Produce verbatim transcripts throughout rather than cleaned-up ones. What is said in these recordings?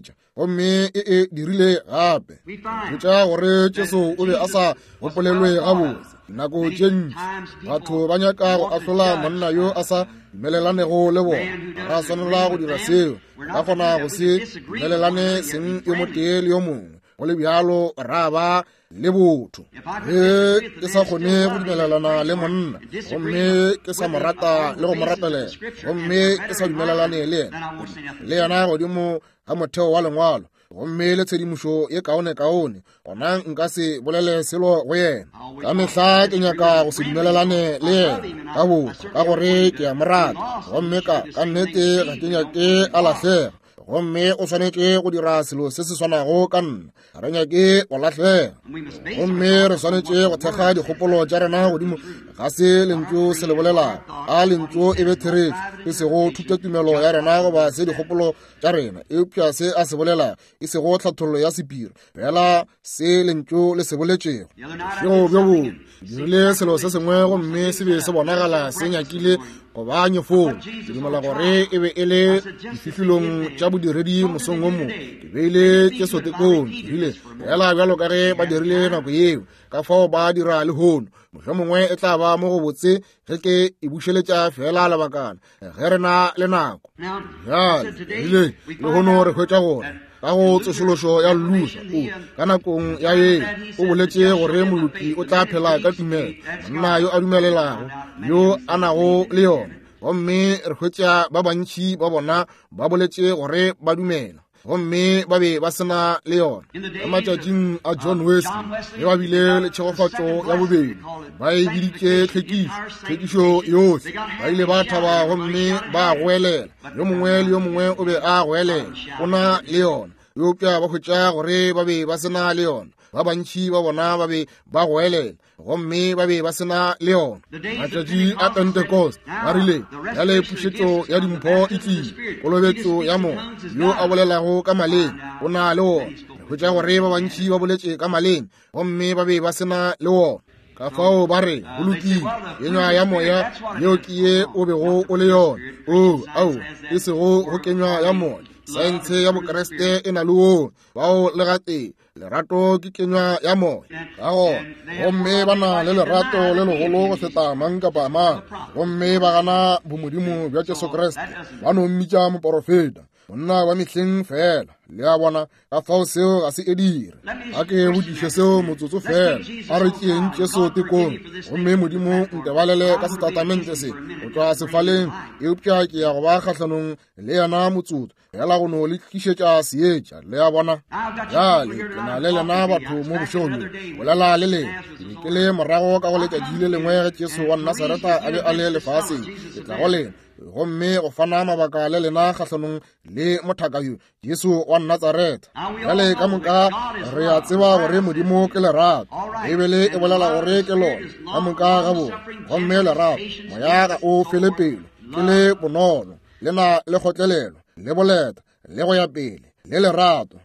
theeletša, gomme e e dirile gape. Hwetša gore Jesu o be a sa gopolelwe gabotse. Nako tše ntši batho ba nyaka go ahlola monna yo a sa dumelelanego le bona. Ga ra swanela go dira seo. Re ka kgona go se dumelelane seng yo motee le yo mongwe. go le bjalo ra ba le botho. Ge ke sa kgone go dumelelana le monna, gomme ke sa mo rata le go mo rapelela, gomme ke sa dumelelane le yena, le yena godimo ga motheo wa lengwalo, gomme le tshedimošo ye kaone-kaone, gona nka se bolele selo go yena. Ka mehla ke nyaka go se dumelelane le yena ka botho, ka gore ke a mo rata, gomme ka ka nnete ga ke nyake a lahlega. Gomme o swanetše go dira selo se se swanago ka nna. Ga re nyake go lahlega. Gomme re swanetše go thekga dikgopolo tša rena godimo ga se lentšu se le bolelago. A lentšu e be therešo, e sego thutatumelo ya rena goba se dikgopolo tša rena, eupša se a se bolelago, e sego tlhathollo ya sephiri, fela se lentšu le se boletšego. Bošego bjo bongwe dirile selo se sengwe gomme se be se bonagala se nyakile go ba nyefolo. Ke dumela gore e be e le difihlolong tša bodiredi mosong wo mongwe. Ke beile Jesu tekong, ke rile fela bjalo ka ge ba dirile nako yeo, ka fao ba dira lehono. Mohlomongwe e tla ba mo go botse ge ke e bušeletša fela lebakana, ge re na le nako. Bjale rile lehono re hwetša gore ka go tsošološo ya Luther, o ka nakong ya yeo o boletše gore moloki o tla phela ka tumelo, monna yo a dumelelago, yo a nago le yona. Gomme re hwetša ba bantši ba bona ba boletše gore ba dumela, gomme ba be ba sena le yona. Ka matšatšing a John Wesley, ge ba bile le tšhegofatšo ya bobedi, ba e biditše tlhwekišo, tlhwekišo yohle. Ba ile ba thaba gomme ba goelela, yo mongwe le yo mongwe o be a goelela o na le yona, eupša ba hwetša gore ba be ba sena le yona. Ba bantši ba bona ba be ba goelela gomme ba be ba sena le yona. Matšatši a Pentecost ba rile bjale pušetšo ya dimpho e tlile, kolobetšo ya moya, yo a bolelago ka maleme o na le wona. Re hwetša gore ba bantši ba boletše ka maleme gomme ba be ba sena le wona. Ka fao ba re go lokile, kenywa ya moya yeo ke ye o bego o le yona. O ao, e sego go kenywa ya moya. Saense ya Bokreste e na le wona, bao le gatee lerato ke kenywa ya moya. Ka gona gomme ba na le lerato le legolo go feta mang kapa mang, gomme ba gana bomodimo bja Jesu Kriste, ba no mmitša moporofeta, monna wa mehleng fela. Le a bona, ka fao seo ga se e dire. A ke botšiše seo motsotso fela. A re tšeeng Jesu tekong, gomme Modimo ntebalele ka setatamente se go tšwa sefaleng, eupša ke ya go ba kgahlanong le yena motsotso fela go no le tlišetša seetša. Le a bona? Bjale ke na le lena batho mo bošegong bjo, bolela le lena. Ke be ke le morago ka go letšatši le lengwe ge Jesu wa Nasareta a be a le lefaseng. Ke tla go lena gomme go fana mabaka le lena kgahlanong le mothaka yo, Jesu wa Natsaretha. Bjale ka moka re a tseba gore Modimo ke lerato. Beibele e bolela gore ke lona ka moka ga bona. Gomme lerato, moya ga o fele pelo, ke le bonolo, le na le kgotlelelo, le boleta, le go ya pele, le lerato.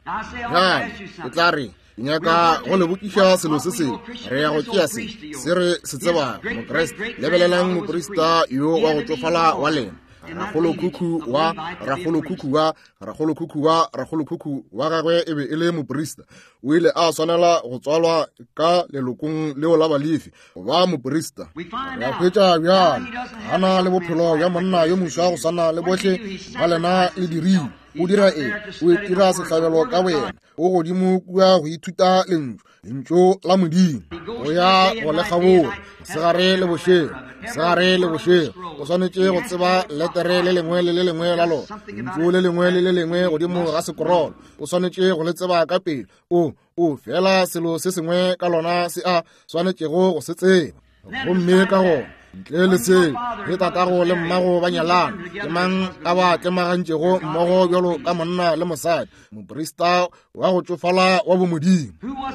Bjale ke tla re nyaka go le botšiša selo se sengwe. Re ya go tšea se se re se tsebago Mokriste. Lebelelang moprista yo wa go tšofala wa lena, rakgolokhukhu wa rakgolokhukhu wa rakgolokhukhu wa rakgolokhukhu wa gagwe e be e le moprista. O ile a swanela go tswalwa ka lelokong leo la Balefi go ba moprista. Re a hwetša bjale ga na le bophelo bja monna yo moswa go swana le bohle ba lena le dirile. O dira eng? O itira sehlabelo ka boyena. O godimo kua go ithuta lentšu, lentšu la Modimo, go ya go le kgabola mosegare le bošego, mosegare le bošego. O swanetše go tseba letere le lengwe le le lengwe la lona, lentšu le lengwe le le lengwe godimo ga sekorolo. O swanetše go le tseba ka pelo. O o fela selo se sengwe ka lona se a swanetšego go se tseba. Gomme ka gona ntle le seo, ge tatago le mmago ba nyalana, ke mang a ba tlemagantšego mmogo bjalo ka monna le mosadi? Moprista wa go tšofala wa bomodimo.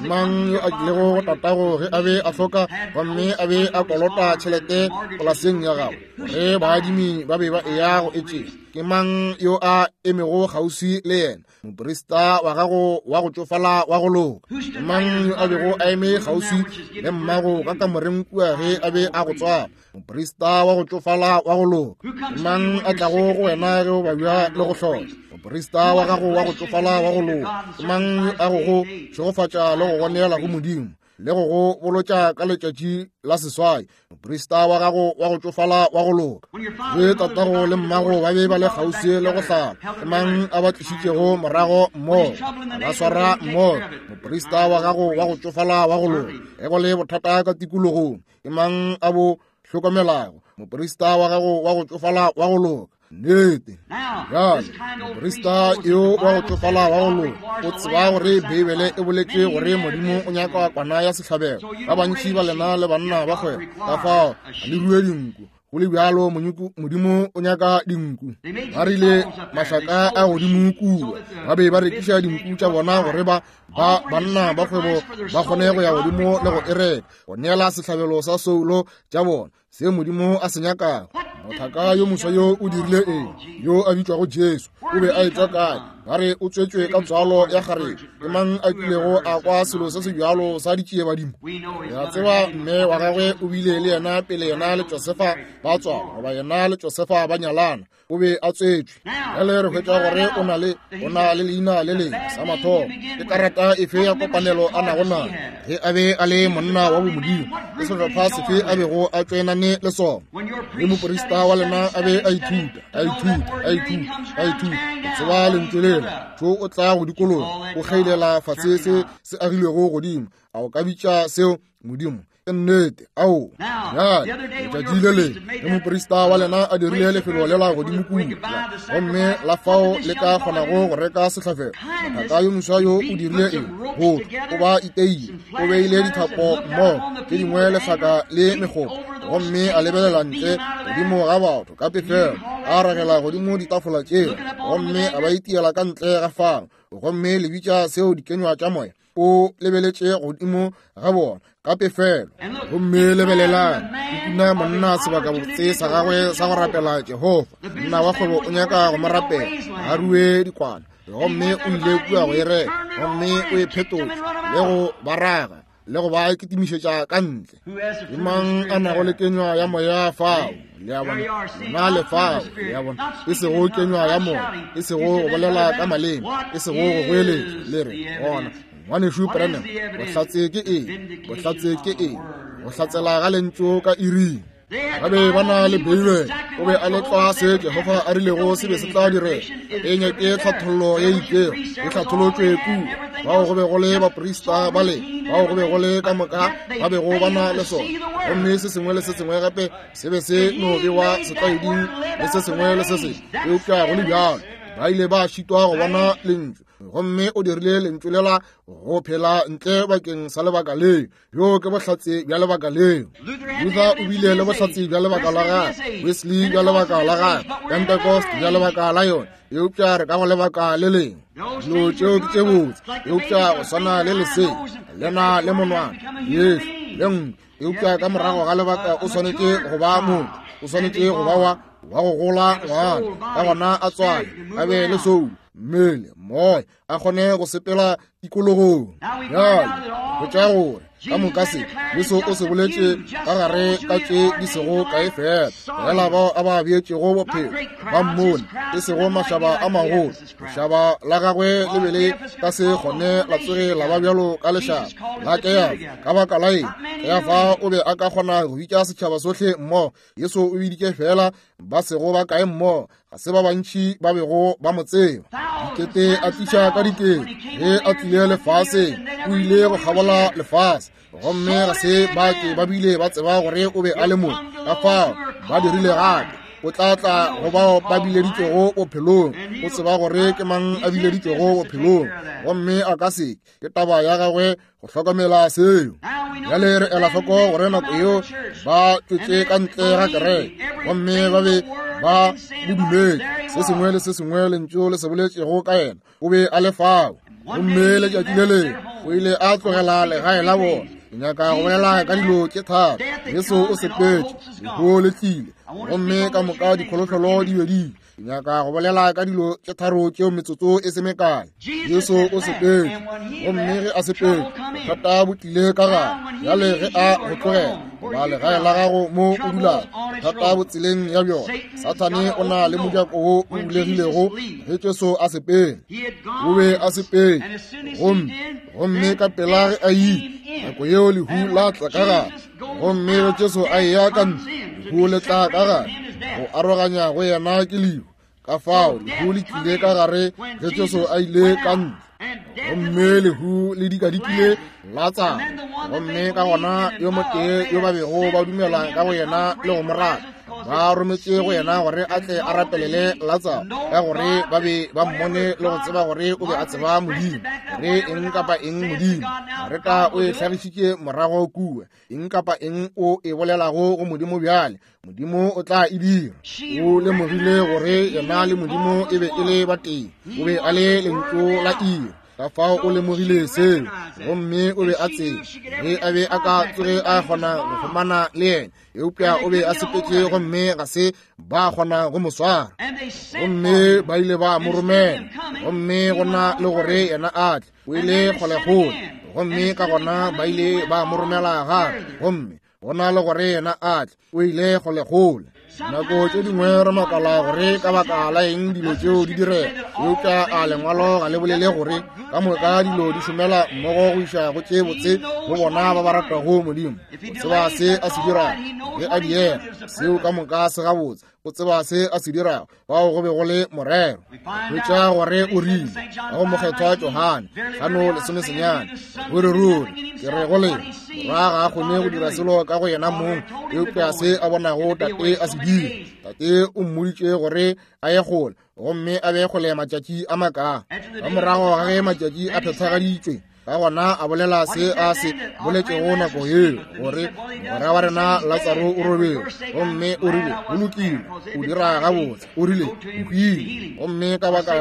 Mang yo a tlilego go tatago ge a be a hloka gomme a be a kolota tšhelete polaseng ya gagwe, gore baadimi ba be ba eya go e tšea? Ke mang yo a emego kgauswi le yena? Moprista wa gago wa go tšofala wa go loka. Ke mang yo a bego a eme kgauswi le mmago ka kamoreng kua ge a be a go tswala? Moprista wa go tšofala wa go loka. Ke mang a tlago go wena ge o babja le go hloka? Moprista wa gago wa go tšofala wa go loka. Ke mang yo a go go šegofatša le go go neela go Modimo? le go go bolotša ka letšatši la seswai. Moprista wa gago wa go tšofala wa go loka. Ge tatago le mmago ba be ba le kgauswi le go hlala, ke mang a ba tlišitšego morago mmogo, ba swara mmogo? Moprista wa gago wa go tšofala wa go loka. Ge go le bothata ka tikologong, ke mang a bo hlokomelago? Moprista wa gago wa go tšofala wa go loka. Nnete. Bjale moprista yo wa go tšofala wa go loka o tseba gore Beibele e boletše gore Modimo o nyaka kwana ya sehlabelo. Ba bantši ba lena le banna ba kgwebo, ka fao ga le rue dinku. Go le bjalo Modimo o nyaka dinku. Ba rile mašaka a godimo kua, ba be ba rekiša dinku tša bona gore ba ba banna ba kgwebo ba kgone go ya godimo le go e reka, go neela sehlabelo sa soulo tša bona, se Modimo a se nyakago. Mothaka yo moswa yo o dirile eng? Yo a bitšwago Jesu, o be a etšwa kae? Ba re o tswetšwe ka tswalo ya kgarebe. Ke mang a kilego a kwa selo se se bjalo sa ditšiebadimo? Re a tseba mme wa gagwe o bile le yena pele yena le Josefa ba tswalwa, goba yena le Josefa ba nyalana. O be a tswetšwe. Bjale re hwetša gore o na le o na le leina le lengwe sa mathomo. Ke karata efe ya kopanelo a nago nayo? Ge a be a le monna wa bomodimo, ke sehlopha sefe a bego a tšoenane le sona? Ge moprista wa lena a be a ithuta, a ithuta, a ithuta, a ithuta, o tseba lentšu lela, tšo o tla go dikologa, o kgeilela fase se se agilwego godimo. A o ka bitša seo Modimo? Ke nnete. Ao, bjale letšatši le lengwe ge moprista wa lena a dirile lefelo lela godimo kua, gomme la fao le ka kgonago go reka sehlabelo, mothaka yo moswa yo o dirile eng? Go o ba iteile, o beile dithapo mmogo tše dingwe lehlaka le megopo, gomme a lebelela ntle godimo ga batho ka pefelo, a ragela godimo ditafola tšeo, gomme a ba itiela ka ntle ga fao. Gomme le bitša seo dikenywa tša moya? O lebeletše godimo ga bona ka pefelo. Gomme lebelelang, o kuna monna sebakabotse sa gagwe sa go rapela Jehofa. Monna wa kgwebo o nyaka go mo rapela, a rue dikwana, gomme o ile kua go e reka, gomme o e phetotše le go ba raga le go ba kitimišetša ka ntle. Ke mang a nago le kenywa ya moya fao? Le a bona, lena le fao. Le a bona, e sego kenywa ya moya, e sego go bolela ka maleme, e sego go goeletša. Le re gona, ngwanešu Branham, bohlatse ke eng? Bohlatse ke eng? Go hlatsela ga lentšu ka iring. Ba be ba na le Beibele. O be a le tlwa se Jehofa a rilego se be se tla direga. E nyake tlhathollo ye itšego, e hlatholotšwe kua. Bao go be go le baprista ba le, bao go be go le ka moka ba bego ba na le sona. Gomme se sengwe le se sengwe gape se be se no bewa setlwaeding le se sengwe le se sengwe. Eupša go le bjalo, ba ile ba šitwa go bona lentšu. Gomme o dirile lentšu lela go phela ntle bakeng sa lebaka leo. Yo ke bohlatse bja lebaka leo. Luther o bile le bohlatse bja lebaka la gagwe, Wesley bja lebaka la gagwe, Pentecost bja lebaka la yona. Eupša re ka go lebaka le lengwe. Dilo tšeo ke tše botse, eupša go swana le lesea le na le monwana, leihlo le nko. Eupša ka morago ga lebaka o swanetše go ba motho, o swanetše go ba wa wa go gola ngwana, ka gona a tswale, a be le soulo, mmele, moya, a kgone go sepela tikologong. Bjale hwetša gore ka moka se Jesu o se boletše ka gare ka tše di sego kae fela, fela bao a ba beetšego bophelo ba mmone, e sego mašaba a magolo. Lešaba la gagwe le be le ka se kgone la tsoge la ba bjalo ka lešaba la Keyafa. Ka baka la eng? Keyafa o be a ka kgona go bitša setšhaba sohle mmogo. Jesu o biditše fela ba sego ba kae mmogo, ga se ba bantši ba bego ba mo tseba. Dikete a tliša ka dikete ge a tlile lefaseng, o ile go kgabola lefase, gomme ga se ba ke ba bile ba tseba gore o be a le mo. Ka fao ba dirile gape. O tla tla go bao ba bileditšwego bophelong. O tseba gore ke mang a bileditšwego bophelong, gomme a ka se ke taba ya gagwe go hlokomela seo. Bjale re ela hloko gore nako yeo ba tšwetše ka ntle ga kereke, gomme ba be ba mo dumetše. Se sengwe le se sengwe lentšu le se boletšego ka yena, o be a le fao. Gomme letšatši le lengwe o ile a tlogela legae la bona. Ke nyaka go bolela ka dilo tše tharo. Jesu o sepetše, lehu le tlile, Gomme ka moka dikholofelo di be di nyaka go bolela ka dilo tše tharo tšeo metsotso e se mekae. Jesu o sepetše, gomme ge a sepetše, bothata bo tlile ka gare. Bjale ge a go tlogela goba legae la gago mo o dulago, bothata bo tseleng ya bjona. Sathane o na le mojako wo o bulegilego ge Jesu a sepela. O be a sepetše, gomme gomme ka pela ge a ile, nako yeo lehu la tla ka gare. Gomme ge Jesu a eya ka ntle, lehu le tla ka gare. Go aroganya go yena ke lehu. Ka fao lehu le tlile ka gare ge Jesu a ile ka ntle. Gomme lehu le dikadikile la tsama. Gomme ka gona yo motee yo ba bego ba dumela ka go yena le go mo rata, ba rometše go yena gore a tle a rapelele Latsaro, ka gore ba be ba mmone le go tseba gore o be a tseba Modimo, gore eng kapa eng Modimo. Mareta o e hlagišitše morago kua, eng kapa eng o e bolelago go Modimo bjale, Modimo o tla e dira. O lemogile gore yena le Modimo e be e le batee, o be a le lentšu la iri. Ka fao o lemogile seo, gomme o be a tseba ge a be a ka tsoge a kgona go humana le yena, eupša o be a sepetše gomme ga se ba kgona go mo swara. Gomme ba ile ba mo romela, gomme go na le gore yena a tle, o ile kgolekgole. Gomme ka gona ba ile ba mo romela gape, gomme go na le gore yena a tle, o ile kgolekgole. Nako tše dingwe re makala gore ka baka la eng dilo tšeo di direga, eupša a lengwalo ga le bolele gore ka moka dilo di šomela mmogo go iša go tše botse go bona ba ba ratago Modimo. O tseba se a se dirago ge a diega, seo ka moka se gabotse. O tseba se a se dirago, fao go be go le morero. Hwetša gore o rile ka go mokgethwa Johane hlano lesome senyane, ruri ruri ke re go lena, morwa ga a kgone go dira selo ka go yena mong, eupša se a bonago tate a se dira. Tate o mmoditše gore a ye kgole, gomme a be kgole matšatši a makaa. Ka morago ga ge matšatši a phethagaditšwe, ka gona a bolela se a se boletšego nako yeo, gore mogwera wa rena Latsaro o robetše, gomme o rile go lokile, o dira gabotse, o rile o hwile, gomme ka baka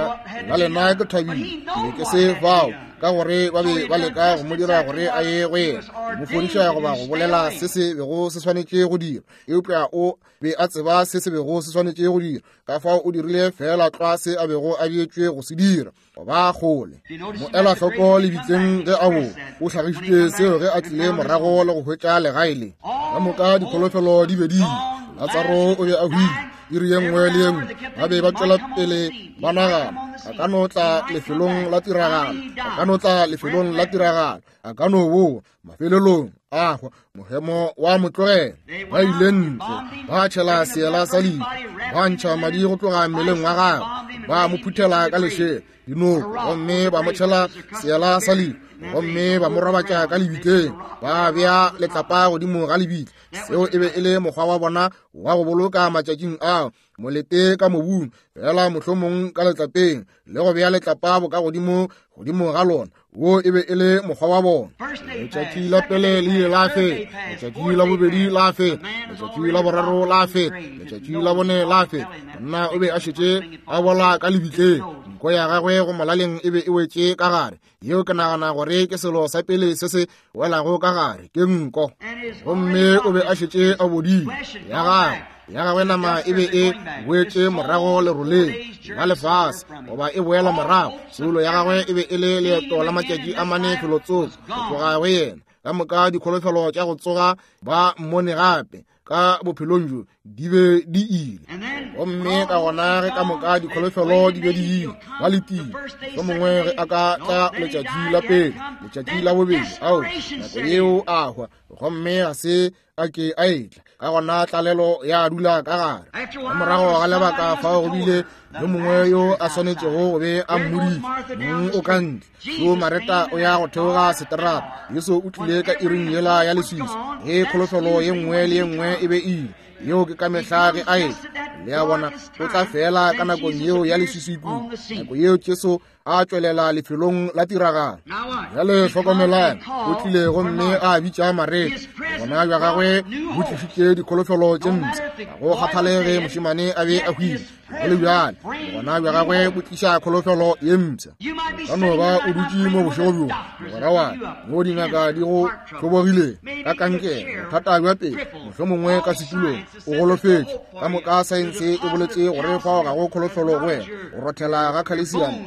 la lena ke thabile ke be ke se fao, ka gore ba be ba leka go mo dira gore a ye go yena, go mo fodiša goba go bolela se se bego se swanetše go dira, eupša o be a tseba se se bego se swanetše go dira. Ka fao o dirile fela tlwa se a bego a beetšwe go se dira, go ba kgole. Mo ela hloko lebitleng ge a bo o hlagišitše seo ge a tlile morago le go hwetša legae le. Ka moka dikholofelo di be di ile. Latsaro o be a hwile iri ye nngwe le ye nngwe. Ba be ba tšwela pele ba nagana, a ka no tla lefelong la tiragalo, a ka no tla lefelong la tiragalo, a ka no boa. Mafelelong a hwa, mohemo wa mo tlogela. Ba ile ntle, ba tšhela seela sa lehu, ba ntšha madi go tloga mmeleng wa gagwe, ba mo phuthela ka lešela dinoko, gomme ba mo tšhela seela sa lehu, gomme ba mo robatša ka lebitleng, ba bea letlapa godimo ga lebitla. Seo e be e le mokgwa wa bona wa go boloka matšatšing ao, molete ka mobung, fela mohlomong ka letlapeng, le go bea letlapa boka godimo godimo ga lona. Wo e be e le mokgwa wa bona. Letšatši la pele le ile la feta, letšatši la bobedi la feta, letšatši la boraro la feta, letšatši la bone la feta. Monna o be a šetše a bola ka lebitleng, nko ya gagwe go molaleng e be e wetše ka gare. Yeo ke nagana gore ke selo sa pele se se welago ka gare, ke nko. Gomme o be a šetše a bodile, ya gagwe ya gagwe nama e be e boetše morago leroleng la lefase, goba e boela morago. Soulo ya gagwe e be e le leeto la matšatši a mane felotsoko go tloga go yena. Ka moka dikholofelo tša go tsoga ba mmone gape ka bophelong bjo di be di ile. Gomme ka gona ge ka moka dikholofelo di be di ile, ba letile mohlomongwe ge a ka tla letšatši la pele, letšatši la bobedi, ao nako yeo a hwa, gomme ga se a ke a etla. Ka gona tlalelo ya dula ka gare. Ka morago ga lebaka fao go bile yo mongwe yo a swanetšego go be a mmoditše, mong o ka ntle. Yo Mareta o ya go theoga seterata. Jesu o tlile ka iring yela ya leswiswi, ge kholofelo ye nngwe le ye nngwe e be ile. Yeo ke ka mehla ge a etla. Le a bona, o tla fela ka nakong yeo ya leswiswi kudu, nako yeo Jesu a tšwelela lefelong la tiragalo. Bjale hlokomelang, o tlile gomme a bitša Mareta. Gona bja gagwe bo tlišitše dikholofelo tše mpsha. Ga go kgathalege mošemane a be a hwile, go le bjale gona bja gagwe bo tliša kholofelo ye mpsha. Ka no ba o dutše mo bošego bjo, mogwera wa ka, mo dingaka di go hlobogile ka kankere, bothata bja pelo, mohlomongwe ka setulong, o golofetše. Ka moka saense e boletše gore fao ga go kholofelo go wena. Go rothela ga khalesiamo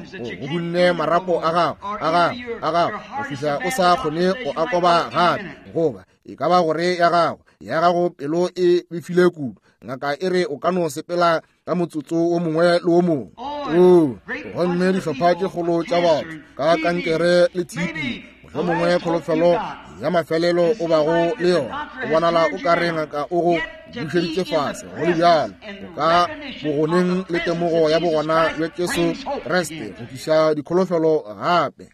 go hunne marapo a gago a gago a gago go fihla o sa kgone go akoba gape, goba e ka ba gore ya gago ya gago pelo e befile kudu. Ngaka e re o ka no sepela ka motsotso o mongwe le o mongwe. O gomme dihlopha tše kgolo tša batho ka kankere le T B, mohlomongwe kholofelo ya mafelelo o bago le yona, o bonala o ka re ngaka o go bušeditše fase. Go le bjalo, o ka bogoneng le temogo ya bogona bja Jesu Kriste go tliša dikholofelo gape.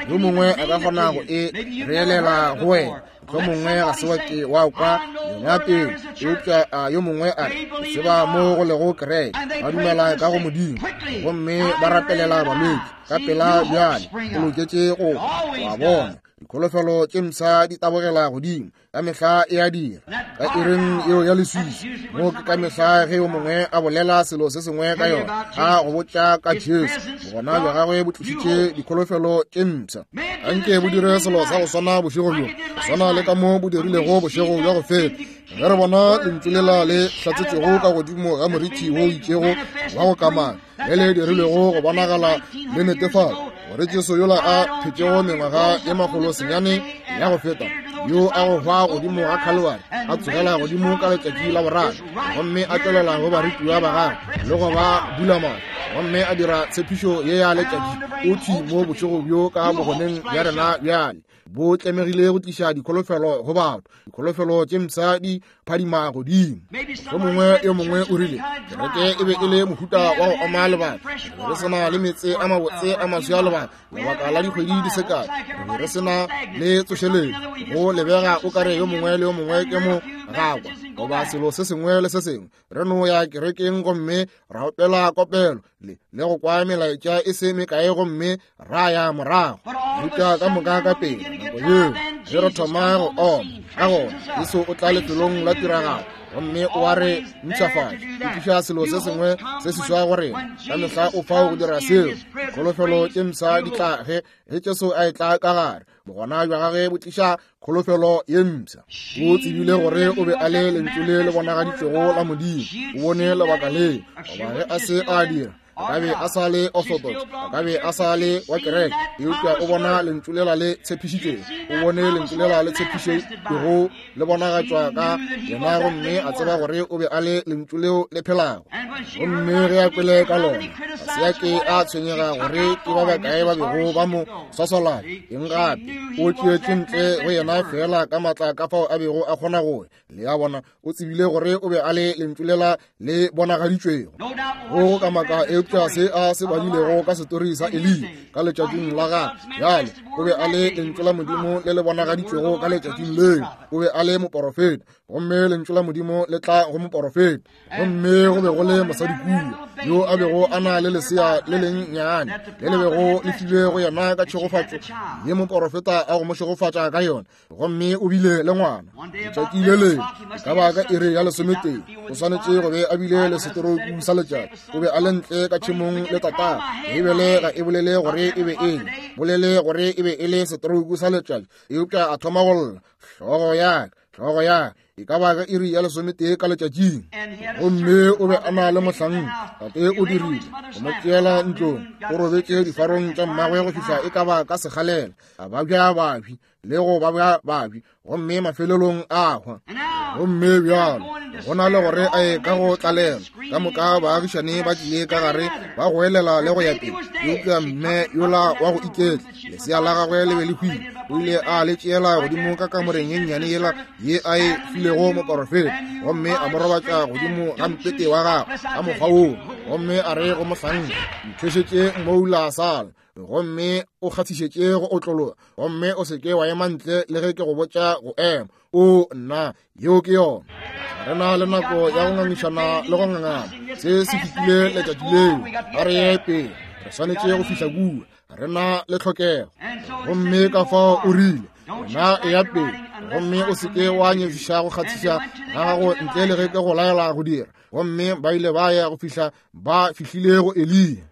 Yo mongwe a ka kgona go e reelela go wena, mohlomongwe ga se wa ke wa kwa yona pele, eupša a yo mongwe a re tseba mo go lego kereke, ba dumela ka go Modimo gomme ba rapelela balwetši ka pela. Bjale o loketše go wa bona dikholofelo tše mpsha di tabogela godimo ka mehla e a dira. Ka iring yeo ya leswiswi mo ke ka mehla ge yo mongwe a bolela selo se sengwe ka yona, a go botša ka Jesu, bogona bja gagwe bo tlišitše dikholofelo tše mpsha. Anke bo dire selo sa go swana bošego bjo, go swana le ka mo bo dirilego bošego bja go feta. Ge re bona lentšu lela le hlatsetšego ka godimo ga moriti wo itšego wa go kamana, le le dirilego go bonagala le netefatša gore Jesu yola a phetšego mengwaga ye makgolo senyane ya go feta, yo a go hwa godimo ga Khalwari, a tsogela godimo ka letšatši la boraro, gomme a tšwelela go barutiwa ba gagwe le go ba bula mahlo, gomme a dira tshepišo ye ya letšatši, o thwi mo bošego bjo ka bogoneng bja rena bjale. Bo tlemegile go tliša dikholofelo go batho, dikholofelo tše mpsha di phadima godimo. Mohlomongwe yo mongwe o rile kereke e be e le mohuta wa go oma lebaka, re be re se na le meetse a mabotse a maswi a lebaka, lebaka la dikgwedi di se kae, re be re se na le tsošeletšo. Go lebega o kare yo mongwe le yo mongwe ke mo gakwa goba selo se sengwe le se sengwe. Re no ya kerekeng gomme ra opela kopelo le le go kwa melaetša e se mekae gomme ra ya morago. Eupša ka moka ka pele nako yeo ge re thoma go oma, ka gona Jesu o tla lefelong la tiragalo gomme o a re mpshafatša, o tliša selo se sengwe se seswa go rena. Ka mehla o fao go dira seo. Dikholofelo tše mpsha di tla ge ge Jesu a etla ka gare. Bogona bja gagwe bo tliša kholofelo ye mpsha. O tsebile gore o be a le lentšu le le bonagaditšwego la Modimo. O bone lebaka leo, goba ge a se a dira, a ka be a sa le orthodox, a ka be a sa le wa kereke, eupša o bona lentšu lela le tshepišitšwego, o bone lentšu lela le tshepišitšwego le bonagatšwa ka yena, gomme a tseba gore o be a le lentšu leo le phelago. Gomme ge a kwele ka lona, ga se a ke a tshwenyega gore ke ba bakae ba bego ba mo swasolana eng gape. O tšeetše ntle go yena fela ka matla ka fao a bego a kgona go. Le a bona, o tsebile gore o be a le lentšu lela le bonagaditšwego. Go ka maka eupša se a se badilego ka setori sa Eliya ka letšatšing la gagwe. Bjale o be a le lentšu la Modimo le le bonagaditšwego ka letšatšing leo. O be a le moporofeta, gomme lentšu la Modimo le tla go moporofeta. Gomme go be go le mosadi kua yo a bego a na le lesea le lennyane le le bego le filwe go yena ka tšhegofatšo ye moporofeta a go mo šegofatša ka yona, gomme o bile le ngwana. Letšatši le lengwe e ka ba ka iri ya lesometee, o swanetše go be a bile le setorouku sa letšatši. O be a le ntle ka tšhemong le tatagwe. Beibele ga e bolele gore e be eng, bolele gore e be e le setorouku sa letšatši, eupša a thoma go lla, hlogo ya ka, hlogo ya ka, e ka ba ka iri ya lesometee ka letšatšing. Gomme o be a na le mohlanka, tate o dirile go mo tšeela ntlong, o robetše difarong tša mmagwe go fihla e ka ba ka sekgalela, a babja babji le go babja babji, gomme mafelelong a hwa. Gomme bjalo go na le gore a ye ka go tlalelwa, ka moka baagišane ba tlile ka gare ba goelela le go ya pele, eupša mme yola wa go iketla, lesea la gagwe le be le hwile, o ile a le tšeela godimo ka kamoreng ye nnyane yela ye a e filego moporofeta, gomme a mo robatša godimo ga mpete wa gagwe ka mokgwa woo, gomme a re go mohlanka, nthwešetše mmoula sala, gomme o kgathišetše go otlologa, gomme o se ke wa ema ntle le ge ke go botša go ema. O nna, yeo ke yona. Re na le nako ya go ngangišana le go ngangana. Se se fetile letšatši leo. A re ye pele. Re swanetše go fihla kua, re na le tlhokego. Gomme ka fao o rile, wena e ya pele, gomme o se ke wa nyefiša go kgathiša ga gago ntle le ge ke go laela go dira. Gomme ba ile ba ya go fihla ba fihlile go Eliya.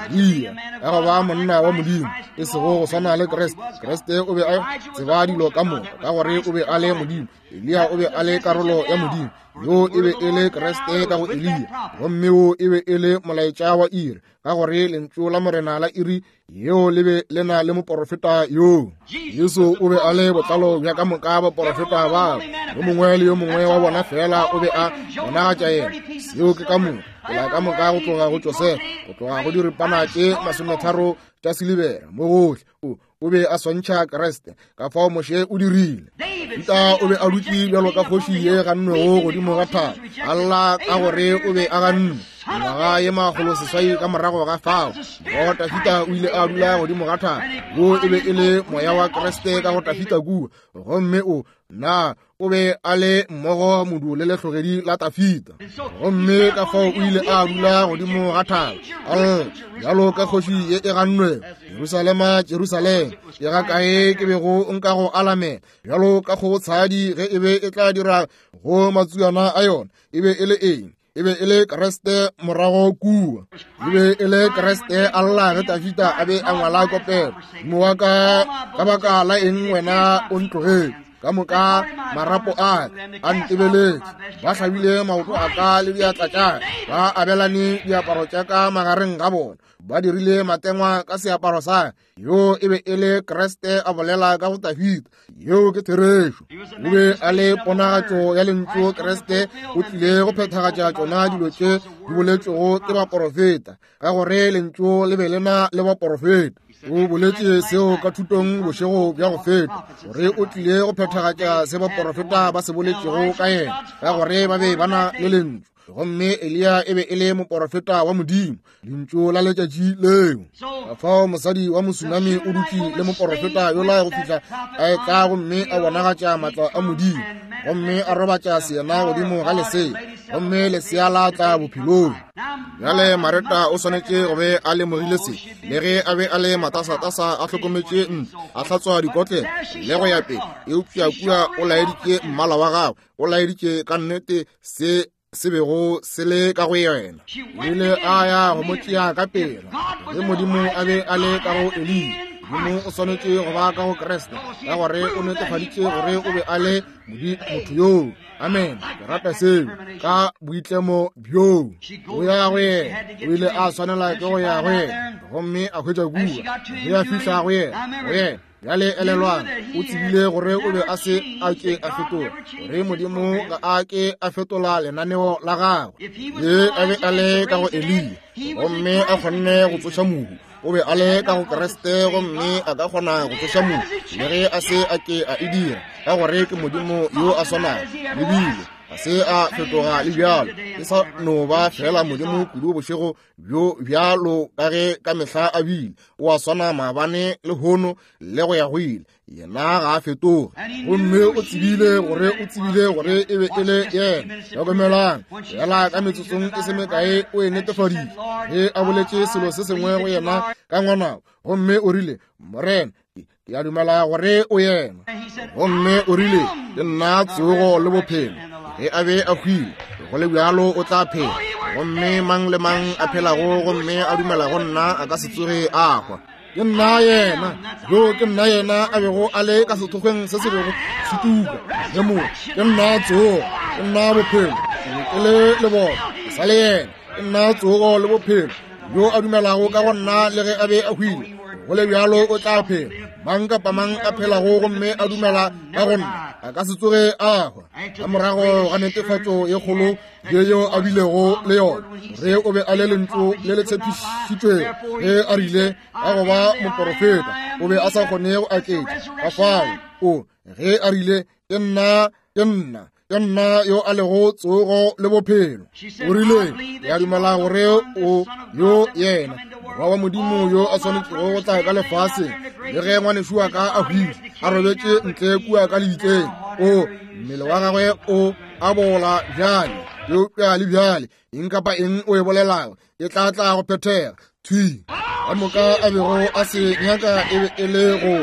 Eliya ya go ba monna wa Modimo, e sego go swana le Kriste. Kriste o be a tseba dilo ka moka, ka gore o be a le Modimo. Eliya o be a le karolo ya Modimo. Yo e be e le Kriste ka go Eliya, gomme wo e be e le molaetša wa iri, ka gore lentšu la Morena la iri yeo le be le na le moporofeta yoo. Jesu o be a le botlalo bja ka moka baporofeta bao. Yo mongwe le yo mongwe wa bona fela o be a bonagatša yena. Seo ke ka moka, tsela ka moka go tloga go Josefa, go tloga go diripana tše masometharo tša silibera, mo gohle o o be a swantšha Kriste. Ka fao Moshe o dirile. Dafida o be a dutše bjalo ka kgoši ye gannwego godimo ga thaba, a lla ka gore o be a gannwe. Mengwaga ye makgolo seswai ka morago ga fao, go Dafida o ile a dula godimo ga thaba. Wo e be e le moya wa Kriste ka go Dafida kua, gomme o na o be a le mmogo modu le lehlogedi la Dafida. Gomme ka fao o ile a dula godimo ga thaba, a lla bjalo ka kgoši ye e gannwego. Jerusalema, Jerusalema, ke ga kae ke bego nka go alamela bjalo ka kgogotshadi ge e be e tla dira go matsuana a yona. E be e le eng? E be e le Kriste morago kua. E be e le Kriste a lla ge Dafida a be a ngwala kopelo. Modimo wa ka, ka baka la eng wena o ntlogetše? Ka moka marapo a a ntebeletše, ba hlabile maoto a ka le diatla tša ka, ba abelane diaparo tša ka magareng ga bona, ba dirile matengwa ka seaparo sa ka. Yo e be e le Kriste a bolela ka go Dafida. Yeo ke therešo. O be a le ponagatšo ya lentšu. Kriste o tlile go phethagatša tšona dilo tše di boletšwego ke baporofeta, ka gore lentšu le be le na le baporofeta. O boletše seo ka thutong bošego bja go feta, gore o tlile go phethagatša se baporofeta ba se boletšego ka yena, ka gore ba be ba na le lentšu. Gomme Eliya e be e le moporofeta wa Modimo, lentšu la letšatši leo. Ka fao mosadi wa Mosunami o dutše le moporofeta yola go fihla a etla gomme a bonagatša maatla a Modimo, gomme a robatša seyena godimo ga lesea, gomme lesea la tla bophelong. Bjale Mareta o swanetše go be a lemogile se, le ge a be a le matasatasa, a hlokometše ntlo, a hlatswa dikotlelo le go ya pele, eupša kua o laeditše mmala wa gagwe, o laeditše ka nnete se se bego se le ka go yena. O ile a ya go mo tšea ka pela. Ge Modimo a be a le ka go Eliya, Modimo o swanetše go ba ka go Kriste, ka gore o netefaditše gore o be a le motho yoo. Amen. Ke rata seo ka boitlemo bjoo. O ya go yena, o ile a swanela ke go ya go yena, gomme a hwetša kua. Ge a fihla go yena, go yena bjale elelwang, o tsebile gore o be a se a ke a fetola, gore Modimo ga a ke a fetola lenaneo la gagwe. Ge a be a le ka go Eliya, gomme a kgonne go tsoša mohu, o be a le ka go Kriste, gomme a ka kgona go tsoša mohu, le ge a se a ke a e dira, ka gore ke Modimo yo a swanago. Lebile a se a fetoga le bjalo, e sa no ba fela Modimo kudu bošego bjo bjalo ka ge ka mehla a bile. O a swana maabane le hono le go ya go ile. Yena ga a fetoge. Gomme o tsebile gore o tsebile gore e be e le yena. Hlokomelang, fela ka metsotsong e se mekae o e netefaditše ge a boletše selo se sengwe go yena ka ngwanabo, gomme o rile, Morena, ke a dumela gore o yena. Gomme o rile, ke nna tsogo le bophelo. Ge a be a hwile, go le bjalo o tla phela. Gomme mang le mang a phelago gomme a dumela go nna a ka se tsoge a hwa. Ke nna yena, yo ke nna yena a bego a le ka sethokgweng se se bego se tuka. Ge mo, ke nna tsogo, ke nna bophelo, ke le lebone, ke sa le yena. Ke nna tsogo le bophelo. Yo a dumelago ka go nna le ge a be a hwile, go le bjalo o tla phela. Mang kapa mang a phelago gomme a dumela ka go nna a ka se tsoge a hwa. Ka morago ga netefatšo ye kgolo ye yo a bilego le yona, gore o be a le lentšu le le tshepišitšwego, ge a rile ka go ba moporofeta, o be a sa kgone go aketša. Ka fao o ge a rile, ke nna, ke nna, ke nna yo a lego tsogo le bophelo. O rile, ke a dumela gore o yo yena morwa wa Modimo yo a swanetšego go tla ka lefaseng, le ge ngwanešu wa ka a hwile, a robetše ntle kua ka lebitleng, o mmele wa gagwe o a bola bjale, eupša le bjale eng kapa eng o e bolelago e tla tla go phethega. Thwi. Ka moka a bego a se nyaka e be e le go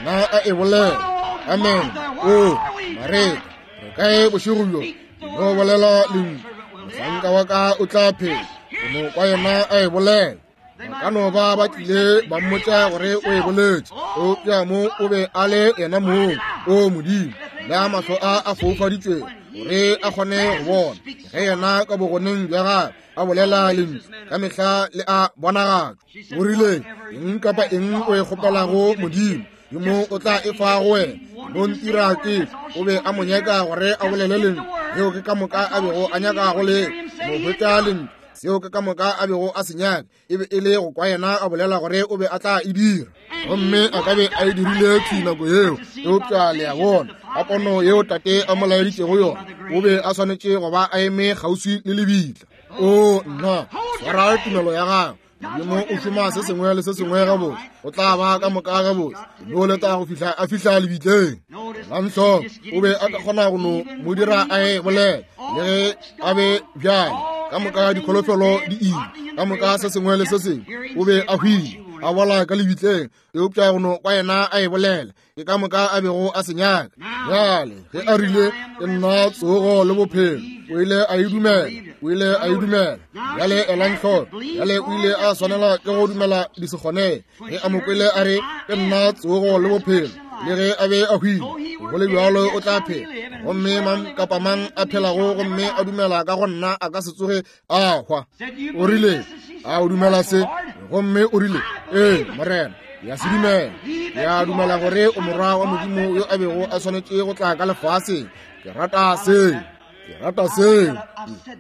kwa yena a e bolela. Amen. O Mareta, re kae bošego bjo? No bolela lentšu, mohlanka wa ka o tla phela. Go no kwa yena a e bolela. Ba ka no ba ba tlile ba mmotša gore o e boletše, eupša mo o be a le yena mong. O Modimo, le a mahlo a a foufaditšwego gore a kgone go bona ge yena ka bogoneng bja gagwe a bolela lentšu ka mehla le a bonagatšwa. O rile, eng kapa eng o e kgopelago Modimo, Modimo o tla e fa go wena. No ntira ke. O be a mo nyaka gore a bolele lentšu. Yeo ke ka moka a bego a nyaka go le mo hwetša lentšu. Seo ke ka moka a bego a se nyaka e be e le go kwa yena a bolela gore o be a tla e dira, gomme a ka be a e dirile thwi nako yeo. Eupša le a bona, ka pono yeo tate a mo laeditšego yona, o be a swanetše go ba a eme kgauswi le lebitla. O nna, swara tumelo ya gago. Modimo o šoma se sengwe le se sengwe gabotse, o tla ba ka moka gabotse. No leta go fihla a fihla lebitleng. Lamhlo o be a ka kgona go no mo dira a e bolela, le ge a be bjale ka moka dikholofelo di ile, ka moka se sengwe le se sengwe. O be a hwile, a bola ka lebitleng, eupša go no kwa yena a e bolela ke ka moka a bego a se nyaka. Bjale ge a rile, ke nna tsogo le bophelo, o ile a e dumela, o ile a e dumela. Bjale elang hloko, bjale o ile a swanela ke go dumela di se kgonege. Ge a mo kwele a re, ke nna tsogo le bophelo, le ge a be a hwile, go le bjalo o tla phela. Gomme mang kapa mang a phelago gomme a dumela ka go nna a ka se tsoge a hwa. O rile, a o dumela se? Gomme o rile, ee Morena, ya se dumela. Ya dumela gore o morwa wa Modimo yo a bego a swanetše go tla ka lefaseng. Ke rata seo, ke rata seo.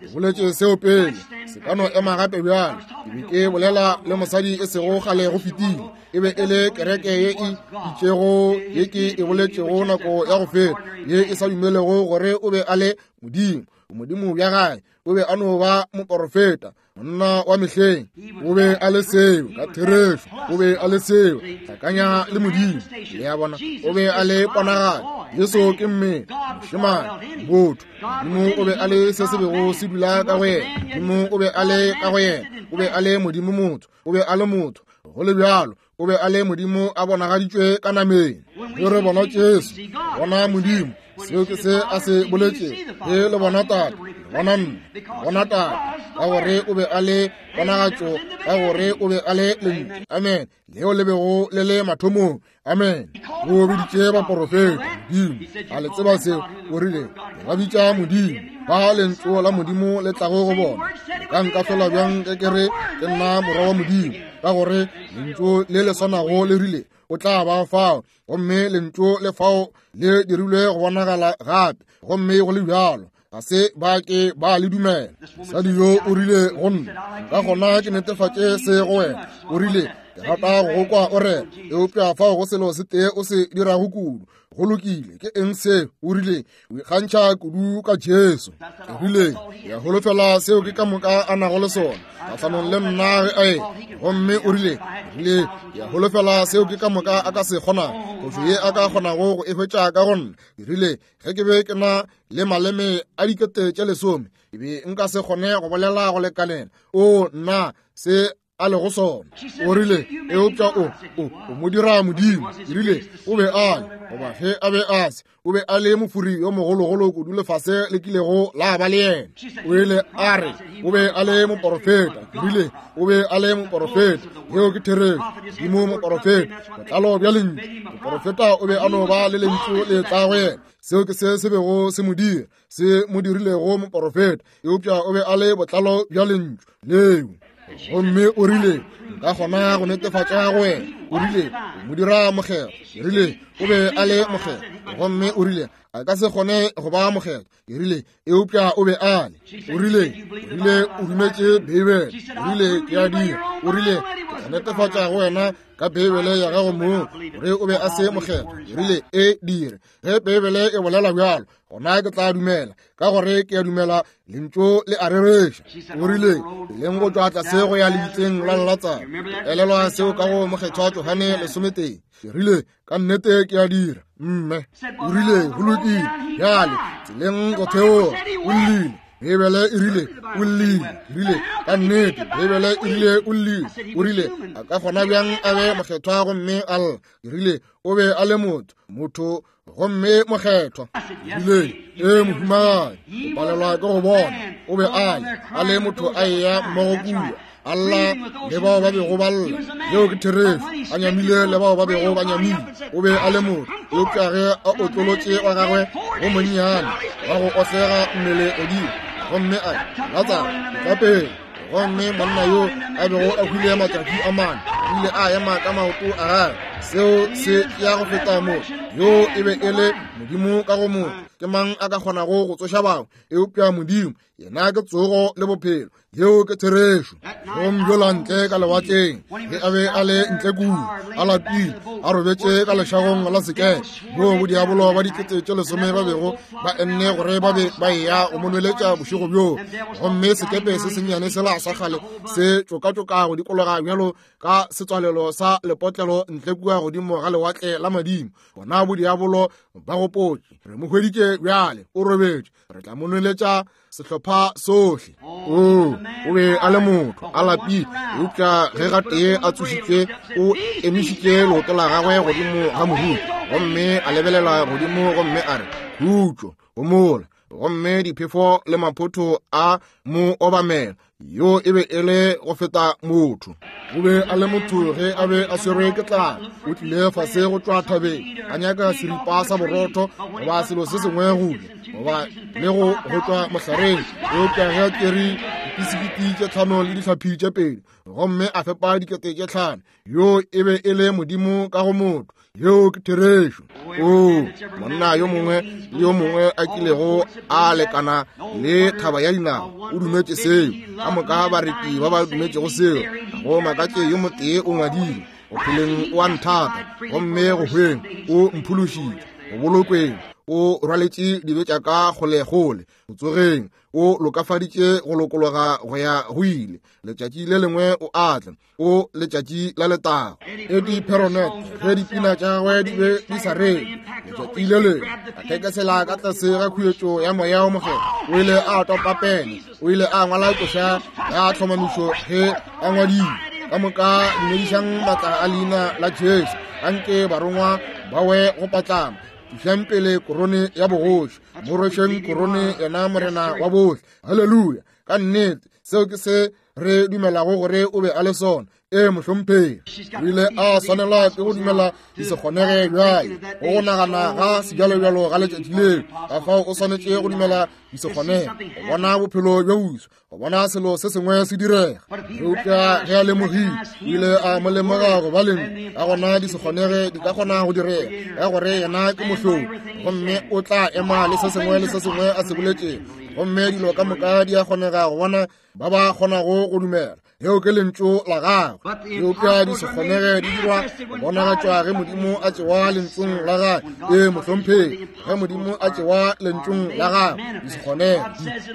Ke boletše seo pele, se ka no ema gape bjale. Ke be ke bolela le mosadi e sego kgale go fetile. E be e le kereke ye e itšego ye ke e boletšego nako ya go feta, ye e sa dumelego gore o be a le Modimo. Modimo bja gae o be a no ba moporofeta, monna wa mehleng. O be a le seo ka therešo, o be a le seo hlakanya le Modimo. Le a bona, o be a le ponagalo. Jesu ke mmele, mošemane, motho. Modimo o be a le se se bego se dula ka go yena. Modimo o be a le ka go yena. O be a le Modimo motho, o be a le motho. Go le bjalo, o be a le Modimo a bonagaditšwe ka nameng. Ge re bona Jesu, bona Modimo. Seo ke se a se boletšego. Ge le bona Tate, le bona nna, le bona Tate, ka gore o be a le ponagatšo, ka gore o be a le lentšu. Amen. Leo le bego le le mathomong. Amen. O biditše baporofeta Modimo. A le tseba seo? O rile, ba bitša Modimo, ba lentšu la Modimo le tlago go bona. Le ka nkahlola bjang ge ke re ke nna morwa wa Modimo? Ka gore lentšu le le swanago le rile o tla ba fao, gomme lentšu le fao le dirilwe go bonagala gape, gomme go le bjalo ga se ba ke ba le dumela. Mosadi yo o rile go nna, ka gona ke netefatše se go wena. O rile, ke rata go go kwa o rera, eupša fao go selo se tee o se dirago kudu. Go lokile, ke eng se? O rile, o ikgantšha kudu ka Jesu. Ke rile, ke a holofela seo ke ka moka a nago le sona kgahlanong le nna ge a e. Gomme o rile, rile, ke a holofela seo ke ka moka a ka se kgonago, phošo ye a ka kgonago go e hwetša ka go nna. Ke rile, ge ke be ke na le maleme a dikete tše lesome, ke be nka se kgone go bolela go lekanela. O nna se a lego sona. O rile, eupša o o o mo dira Modimo. Ke rile, o be a le, goba ge a be a se, o be a le mofuri yo mogologolo kudu lefase le kilego la ba le yena. O ile a re o be a le moporofeta. Ke rile, o be a le moporofeta. Yeo ke therešo. Modimo moporofeta, botlalo bja lentšu. Moporofeta o be a no ba le lentšu le tla go yena. Seo ke se se bego se mo dira, se mo dirilego moporofeta, eupša o be a le botlalo bja lentšu leo. Gomme o rile, nka kgona go netefatša go wena. O rile, o mo dira mokgethwa. Ke rile, o be a le mokgethwa. Gomme o rile, a ka se kgone go ba mokgethwa. Ke rile, eupša o be a le. O rile, o rile o dumetše Beibele. O rile, ke a dira. O rile, ke tla netefatša go wena ka Beibele ya gago mong gore o be a se mokgethwa. Ke rile, e dire. Ge Beibele e bolela bjalo, gona ke tla dumela, ka gore ke a dumela lentšu le a rereša. O rile, leng go tšwa tlase go ya lebitleng la Latsaro. Elelwa seo ka go mokgethwa Johane lesometee. Ke rile, ka nnete ke a dira, mme. O rile, go lokile, bjale tseleng go theoga. O llile. Beibele e rile o llile. Rile ka nnete Beibele e rile o llile. O rile a ka kgona bjang a be mokgethwa gomme a lla? Rile o be a le motho, motho gomme mokgethwa. Rile ee mohumagadi, o palelwa ke go bona. O be a le a le motho a eya mmogo kua, a lla le bao ba bego ba lla. Yeo ke therešo. A nyamile le bao ba bego ba nyamile. O be a le motho, eupša ge a otlolotše wa gagwe go monnyane wa go otlega mmele godimo, gomme a re Latsaro tla pele, gomme monna yo a bego a hwile matšatši a mane o ile a ema ka maoto a gagwe. Seo se ya go feta mo. Yo e be e le Modimo ka go motho. Ke mang a ka kgonago go tsoša bangwe eupša Modimo? Yena ke tsogo le bophelo. Yeo ke therešo. Gomme yola ntle ka lewatleng, ge a be a le ntle kua, a lapile, a robetše ka lešagong la sekepe, moo bodiabolo ba dikete tše lesome ba bego ba enne gore ba be ba eya go mo nweletša bošego bjoo. Gomme sekepe se sennyane sela sa kgale se tšokatšoka go dikologa bjalo ka setswalelo sa lepotlelo ntle kua godimo ga lewatle la madimo. Bona bodiabolo ba gopotše, re mo hweditše bjale, o robetše, re tla mo nweletša sehlopha sohle. O o be a le motho, a lapile, eupša ge gatee a tsošitšwe, o emišitše leoto la gagwe godimo ga morula, gomme a lebelela godimo gomme a re, khutšo, homola. Gomme diphefo le maphotho a mo obamela. Yo e be e le go feta motho. O be a le motho ge a be a swerwe ke tlala. O tlile fase go tšwa thabeng, a nyaka seripa sa borotho goba selo se sengwe go ja, goba le go go tšwa mohlareng. Eupša ge a tšere dipisikiti tše tlhano le dihlapi tše pedi, gomme a fepa dikete tše tlhano, yo e be e le Modimo ka go motho. Yeo ke therešo. O monna yo mongwe le yo mongwe a kilego a lekana le thaba ya dinao o dumetše seo. Ka moka bareti ba ba dumetšego seo. Go makatše yo motee o ngwadile, go pheleng o a nthata, gomme go hweng o mphološitše, go bolokweng o rwaletše dibe tša ka kgolekgole, go tsogeng o lokafaditše go lokologa go ya go ile. Letšatši le lengwe o atla, o letšatši la letago. Eddie Perronet, ge dipina tša gagwe di be di sa reng, letšatši le lengwe a thekesela ka tlase ga khuetšo ya moya o mokgethwa, o ile a topa pene, o ile a ngwala koša ya tlhomamišo ge a ngwadile, ka moka dumedišang maatla a leina la Jesu, anke barongwa ba we go patlama, tlišang pele korone ya bogoši, mo rwešeng korone yena morena wa bohle. Haleluya. Ka nnete seo ke se re dumelago gore o be a le sona. Ee mohlomphegi, o ile a swanelwa ke go dumela di se kgonege bjale go go nagana ga sebjalobjalo ga letšatši leo. Ka fao o swanetše go dumela di se kgonege, go bona bophelo bjo boswa, go bona selo se sengwe se direga. Eupša ge a lemogile, o ile a mo lemoga go ba leng ka gona di se kgonege di ka kgona go direga, ka gore yena ke mohlodi, gomme o tla ema le se sengwe le se sengwe a se boletšego, gomme dilo ka moka di a kgonega go bona ba ba kgonago go dumela. Yeo ke lentšu la gagwe. Eupša di se kgonege di dirwa go bonagatšwa ge Modimo a tšewa lentšung la gagwe. Ee mohlomphegi, ge Modimo a tšewa lentšung la gagwe, di se kgonege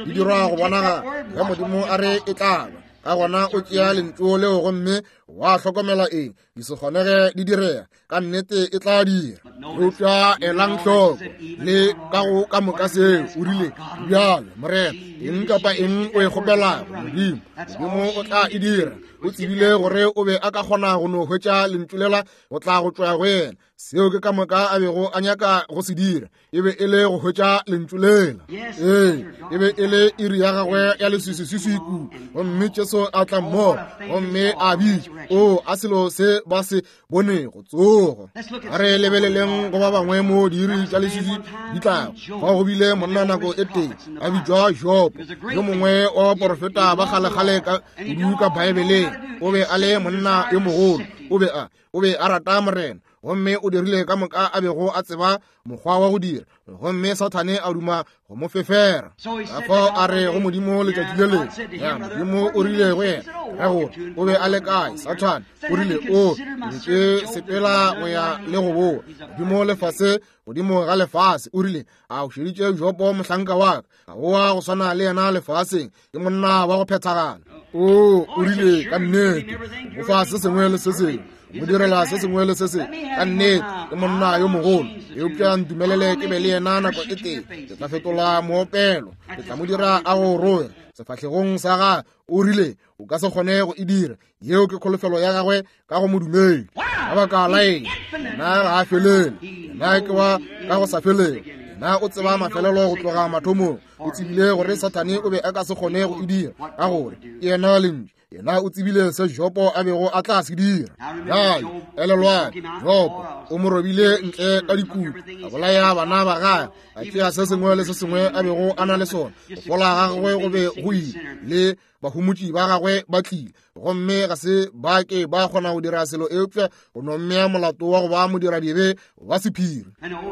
di dirwa go bonagala ge Modimo a re e tla ba. Ka gona o tšea lentšu leo gomme wa hlokomela eng, di se kgonege di direga, ka nnete e tla dira. Eupša elang hloko le ka go ka moka seo o rile, bjale morena, eng kapa eng o e kgopelago Modimo, Modimo o tla e dira. O tsebile gore o be a ka kgona go no hwetša lentšu lela go tla go tšwa go yena. Seo ke ka moka a bego a nyaka go se dira, e be e le go hwetša lentšu lela. Ee, e be e le iri ya gagwe ya leswiswiswiswi kudu. Gomme Jesu a tla mmogo gomme a bitša, o a selo se ba se bonego, tsogo. A re lebeleleng go ba bangwe mo diiri tša leswiswi di tlago. Fa go bile monna nako e tee a bitšwa Jobo, yo mongwe wa baporofeta ba kgalekgale ka kudu ka Baebeleng. O be a le monna yo mogolo, o be a o be a rata morena, gomme o dirile ka moka a bego a tseba mokgwa wa go dira, gomme Sathane a duma go mo fefera. Ka fao a re go Modimo letšatši le lengwe, ya Modimo o rile go yena, ka gore o be a le kae? Sathane o rile, o be ke sepela go ya le go boa godimo lefase, godimo ga lefase. O rile, a o šeditše Jobo mohlanka wa ka? Ga o wa go swana le yena lefaseng, ke monna wa go phethagala. O o rile, ka nnete o fa se sengwe le se sengwe, Mo direla se sengwe le se sengwe. Ka nnete ke monna yo mogolo, eupša ntumelele ke be le yena nako e tee. Ke tla fetola moopelo, ke tla mo dira a go roge sefahlegong sa gagwe. O rile o ka se kgone go e dira. Yeo ke kholofelo ya gagwe ka go modumedi. Ka baka la eng? Yena ga a felele, yena ke wa ka go sa felele. Yena o tseba mafelelo go tloga mathomong. O tsebile gore Sathane o be a ka se kgone go e dira, ka gore ke yena lentšu. Yena o tsebile se Jopo a bego a tla se dira. Bjale elelwang, Jopo o mo robile ntle ka dikutu, a bolaya bana ba gagwe, a tšea se sengwe le se sengwe a bego a na le sona. Go fola ga gagwe go be go ile, le bahumotši ba gagwe ba tlile, gomme ga se ba ke ba kgona go dira selo eupša go no mmea molato wa go ba modiradibe wa sephiri.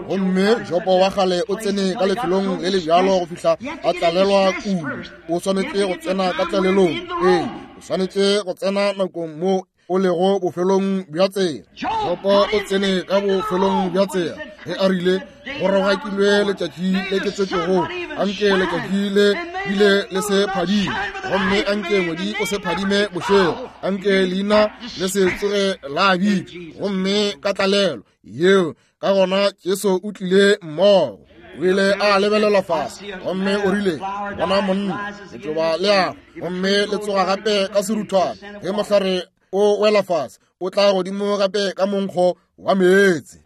Gomme Jopo wa kgale o tsene ka lefelong le le bjalo go fihla a tlalelwa kudu. O swanetše go tsena ka tlalelong. Ee, o swanetše go tsena nakong mo o lego bofelong bja tsela. Jopo o tsene ka bofelong bja tsela ge a rile go rogakilwe letšatši le ke tswetšego, anke letšatši le bile le se phadime, gomme anke ngwedi o se phadime bošego, anke leina le se tsoge la bitšwa. Gomme ka tlalelo yeo ka gona Jesu o tlile mmogo. O ile a lebelela fase gomme o rile, bona monna, letšoba le a gomme le tsoga gape ka seruthwane. Ge mohlare o wela fase, o tla godimo gape ka monkgo wa meetse.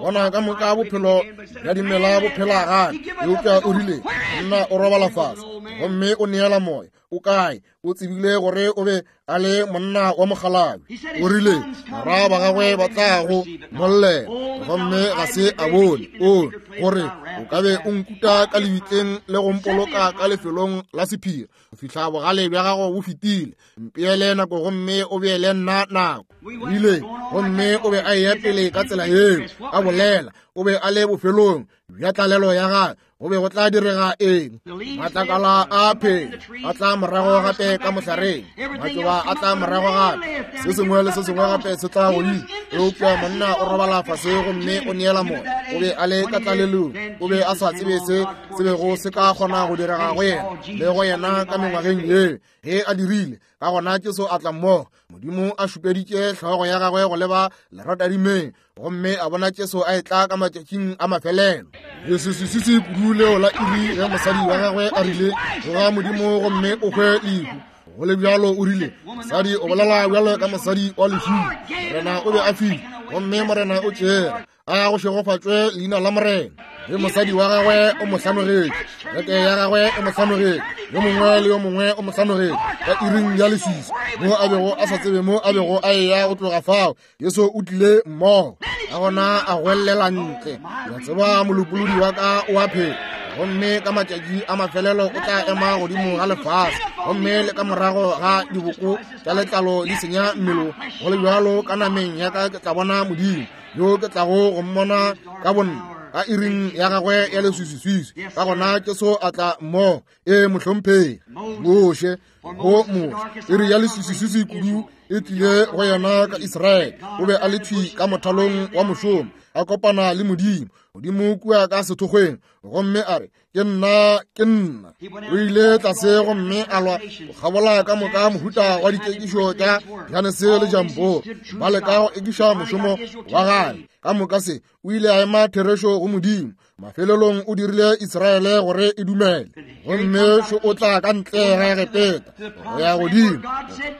Bona ka moka bophelo bja dimela bo phela gape. Eupša o rile monna o robala fase gomme o neela moya. O kae? O tsebile gore o be a le monna wa mokgalabje. O rile barwa ba gagwe ba tla go mollela, gomme ga se a bone. O gore o ka be o nkuta ka lebitleng le go mpoloka ka lefelong la sephiri go fihla bogale bja gago bo fetile. Mpeele nako gomme o beele nna nako. Rile gomme o be a eya pele ka tsela yeo a bolela. O be a le bofelong bja tlalelo ya gagwe. Go be go tla direga eng? Matlakala a phela a tla morago gape ka mohlareng, matšoba a tla morago gape, se sengwe le se sengwe gape se tla godimo. Eupša monna o robala fase gomme o neela moya. O be a le ka tlalelong. O be a sa tsebe se se bego se ka kgona go direga go yena le go yena ka mengwageng yeo. Ge a dirile, ka gona Jesu a tla mmogo. Modimo a šupeditše hlogo ya gagwe go leba leratadimeng, gomme a bona Jesu a etla ka matšatšing a mafelelo. Leswiswiswi kudu leo la iri ge mosadi wa gagwe a rile tsoga Modimo gomme o hwe lehu. Go le bjalo o rile mosadi o bolela bjalo ka mosadi wa lehung. Morena o be a file, gomme Morena o tšere. A go šegofatšwe leina la Morena. Ge mosadi wa gagwe o mo hlanogetše, kereke ya gagwe e mo hlanogetše, yo mongwe le yo mongwe o mo hlanogetše ka iring ya leswiswi mo a bego a sa tsebe mo a bego a eya go tloga fao. Jesu o tlile mmogo. Ka gona a goelela ntle, ya tseba molopolodi wa ka o a phela, gomme ka matšatši a mafelelo o tla ema godimo ga lefase, gomme le ka morago ga diboko tša letlalo di senya mmele, go le bjalo ka nameng ya ka ke tla bona Modimo yo ke tlago go mmona ka bonna ka iring ya gagwe ya leswiswiswi. Ka gona Jesu a tla mmogo. Ee mohlomphegi. Moshe go Moshe iri ya leswiswiswi kudu e tlile go yena ka Israele. O be a le thwi ka mothalong wa mošomo, a kopana le Modimo. Modimo kua ka sethokgweng, gomme a re ke nna, ke nna. O ile tlase gomme a lwa go kgabola ka moka mohuta wa dikekišo tša Janese le Jambo, ba leka go ekiša mošomo wa gagwe. Ka moka se o ile a ema therešo go Modimo. Mafelelong o dirile Israele gore e dumele, gomme šo o tla ka ntle ga Egepeta go ya godimo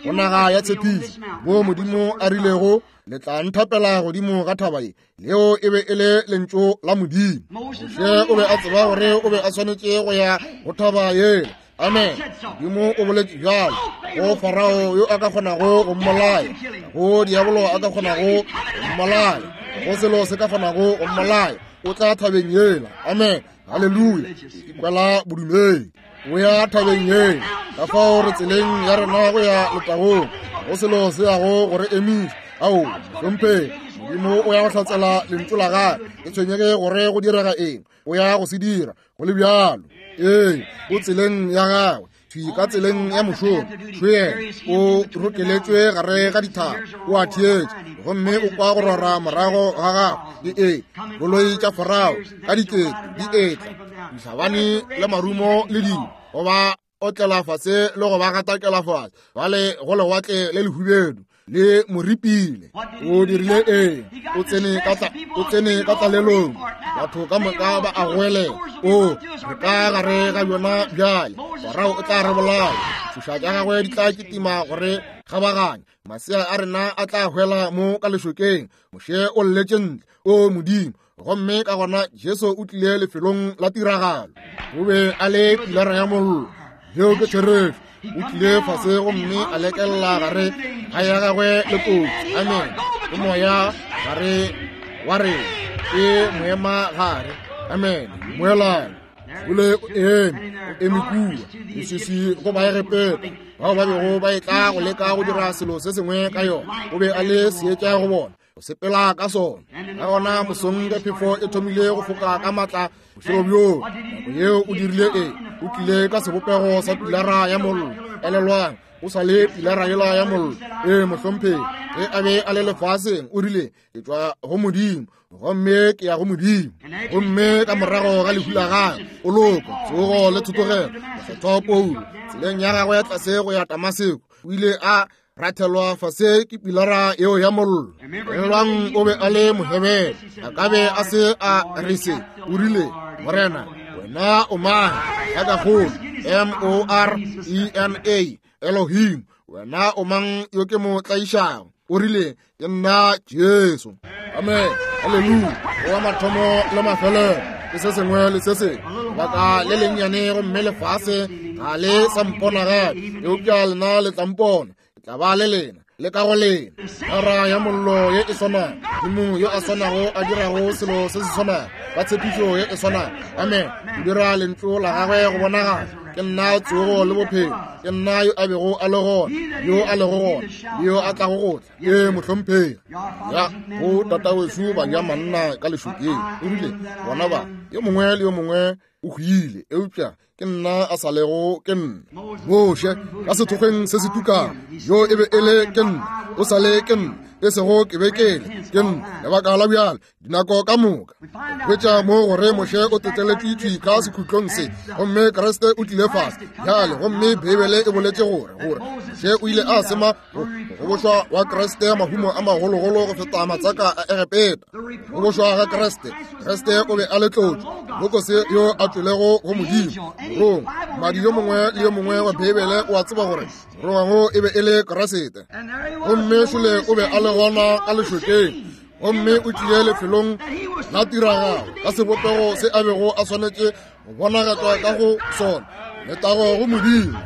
go naga ya tshepišo mo Modimo a rilego le tla nthapela godimo ga thaba ye. Leo e be e le lentšu la Modimo. Moshe o be a tseba gore o be a swanetše go ya go thaba yela. Amen. Modimo o boletše bjalo go Farao yo a ka kgonago go mmolaya, go diabolo a ka kgonago go mmolaya, go selo se ka kgonago go mmolaya. O tla thabeng yela. Amen. Haleluya. Ikwela bodumedi. O ya thabeng yela. Ka fao re tseleng ya rena go ya letagong. Go selo se yago gore emiša. Ao, mohlomphegi. Modimo o ya go hlatsela lentšu la gagwe. Ke tshwenyege gore go direga eng, o ya go se dira go le bjalo. Ee, o tseleng ya gagwe, thwi ka tseleng ya mošomo. Šoyena o rokeletšwe gare ga dithaba, o a theetša gomme o kwa go rora morago ga gagwe. Ee, koloi tša Farao ka dikete di etla, dihlabani le marumo le dingwe, go ba otlela fase le go ba gatakela fase, bale go lewatle le lehubedu. Le mo ripile. O dirile eng? O tsene ka tla, o tsene ka tlalelong. Batho ka moka ba a goelela. O, re ka gare ga yona bjale. Farao o tla re bolaya. Tšhoša tša gagwe di tla kitima gore kgabaganya. Masea a rena a tla hwela mo ka lešokeng. Moshe o lletše ntle. O Modimo. Gomme ka gona Jesu o tlile lefelong la tiragalo. O be a le pilara ya mollo. Yeo ke therešo. O tlile fase gomme a lekelela gare ga ya gagwe le kotsi. Amen. Ke moya gare wa rena. Ke moema gare. Amen. Moelana. Ole o eme, o eme kua. Leswiswi go Baegepeta bao ba bego ba etla go leka go dira selo se sengwe ka yona. O be a le seetša go bona, go sepela ka sona. Ka gona mosong ge phefo e thomile go foka ka matla bošego bjoo, nako yeo o dirile eng? O tlile ka sebopego sa pilara ya mollo. Elelwang, o sa le pilara yela ya mollo. Ee, mohlomphegi, ge a be a le lefaseng, o rile, ke tšwa go Modimo, gomme ke ya go Modimo. Gomme ka morago ga lehu la gagwe, poloko, tsogo le thotogelo, mokgethwa Paulo, tseleng ya gagwe ya tlase go ya Damaseko, o ile a rathelwa fase ke pilara yeo ya mollo. Elelwang, o be a le Mohebere. A ka be a se a re se. O rile, Morena, wena o mang? Ya ka kgolo, M O R E N A, Elohim, wena o mang yo ke mo tlaišago? O rile, ke nna Jesu. Amen. Haleluya. O wa mathomo le mafelelo, ke se sengwe le se sengwe. Baka le lennyane gomme lefase ga le sa mpona gape, eupša lena le tla mpona. Ke tla ba le lena, le ka go lena. Pilara ya mollo ye e swanago, Modimo yo a swanago a dirago selo se se swanago ka tshepišo ye e swanago. Amen. O dira lentšu la gagwe go bonagala. Ke nna tsogo le bophelo. Ke nna yo a bego a le gona, yo a lego gona, le yo a tlago go tla. Ee, mohlomphegi. Ya, go tatawešu ba ja manna ka lešokeng. O rile, bona ba, yo mongwe le yo mongwe o hwile, eupša ke nna a sa lego ke nna. Moshe, ka sethokgweng se se tukang, yo e be e le ke nna, o sa le ke nna, e sego ke be ke le ke nna. Lebaka la bjale, dinako ka moka. Hwetša mo gore Moshe o teteletšwe thwi ka sekhutlong se, gomme Kriste o tlile fase bjale. Gomme Beibele e boletše gore gore Moshe o ile a sema go gobošwa wa Kriste mahumo a magologolo go feta matsaka a Egepeta. Go bošwa ga Kriste, Kriste o be a le tlotšo, Lokose yo a tšwelego go Modimo. Morongwa, mmadi yo mongwe le yo mongwe wa Beibele o a tseba gore morongwa e be e le Kriste. Gomme šole o be a le gona ka lešokeng, gomme o tlile lefelong la tiragalo ka sebopego se a bego a swanetše go bonagatšwa ka go sona. Letago go Modimo,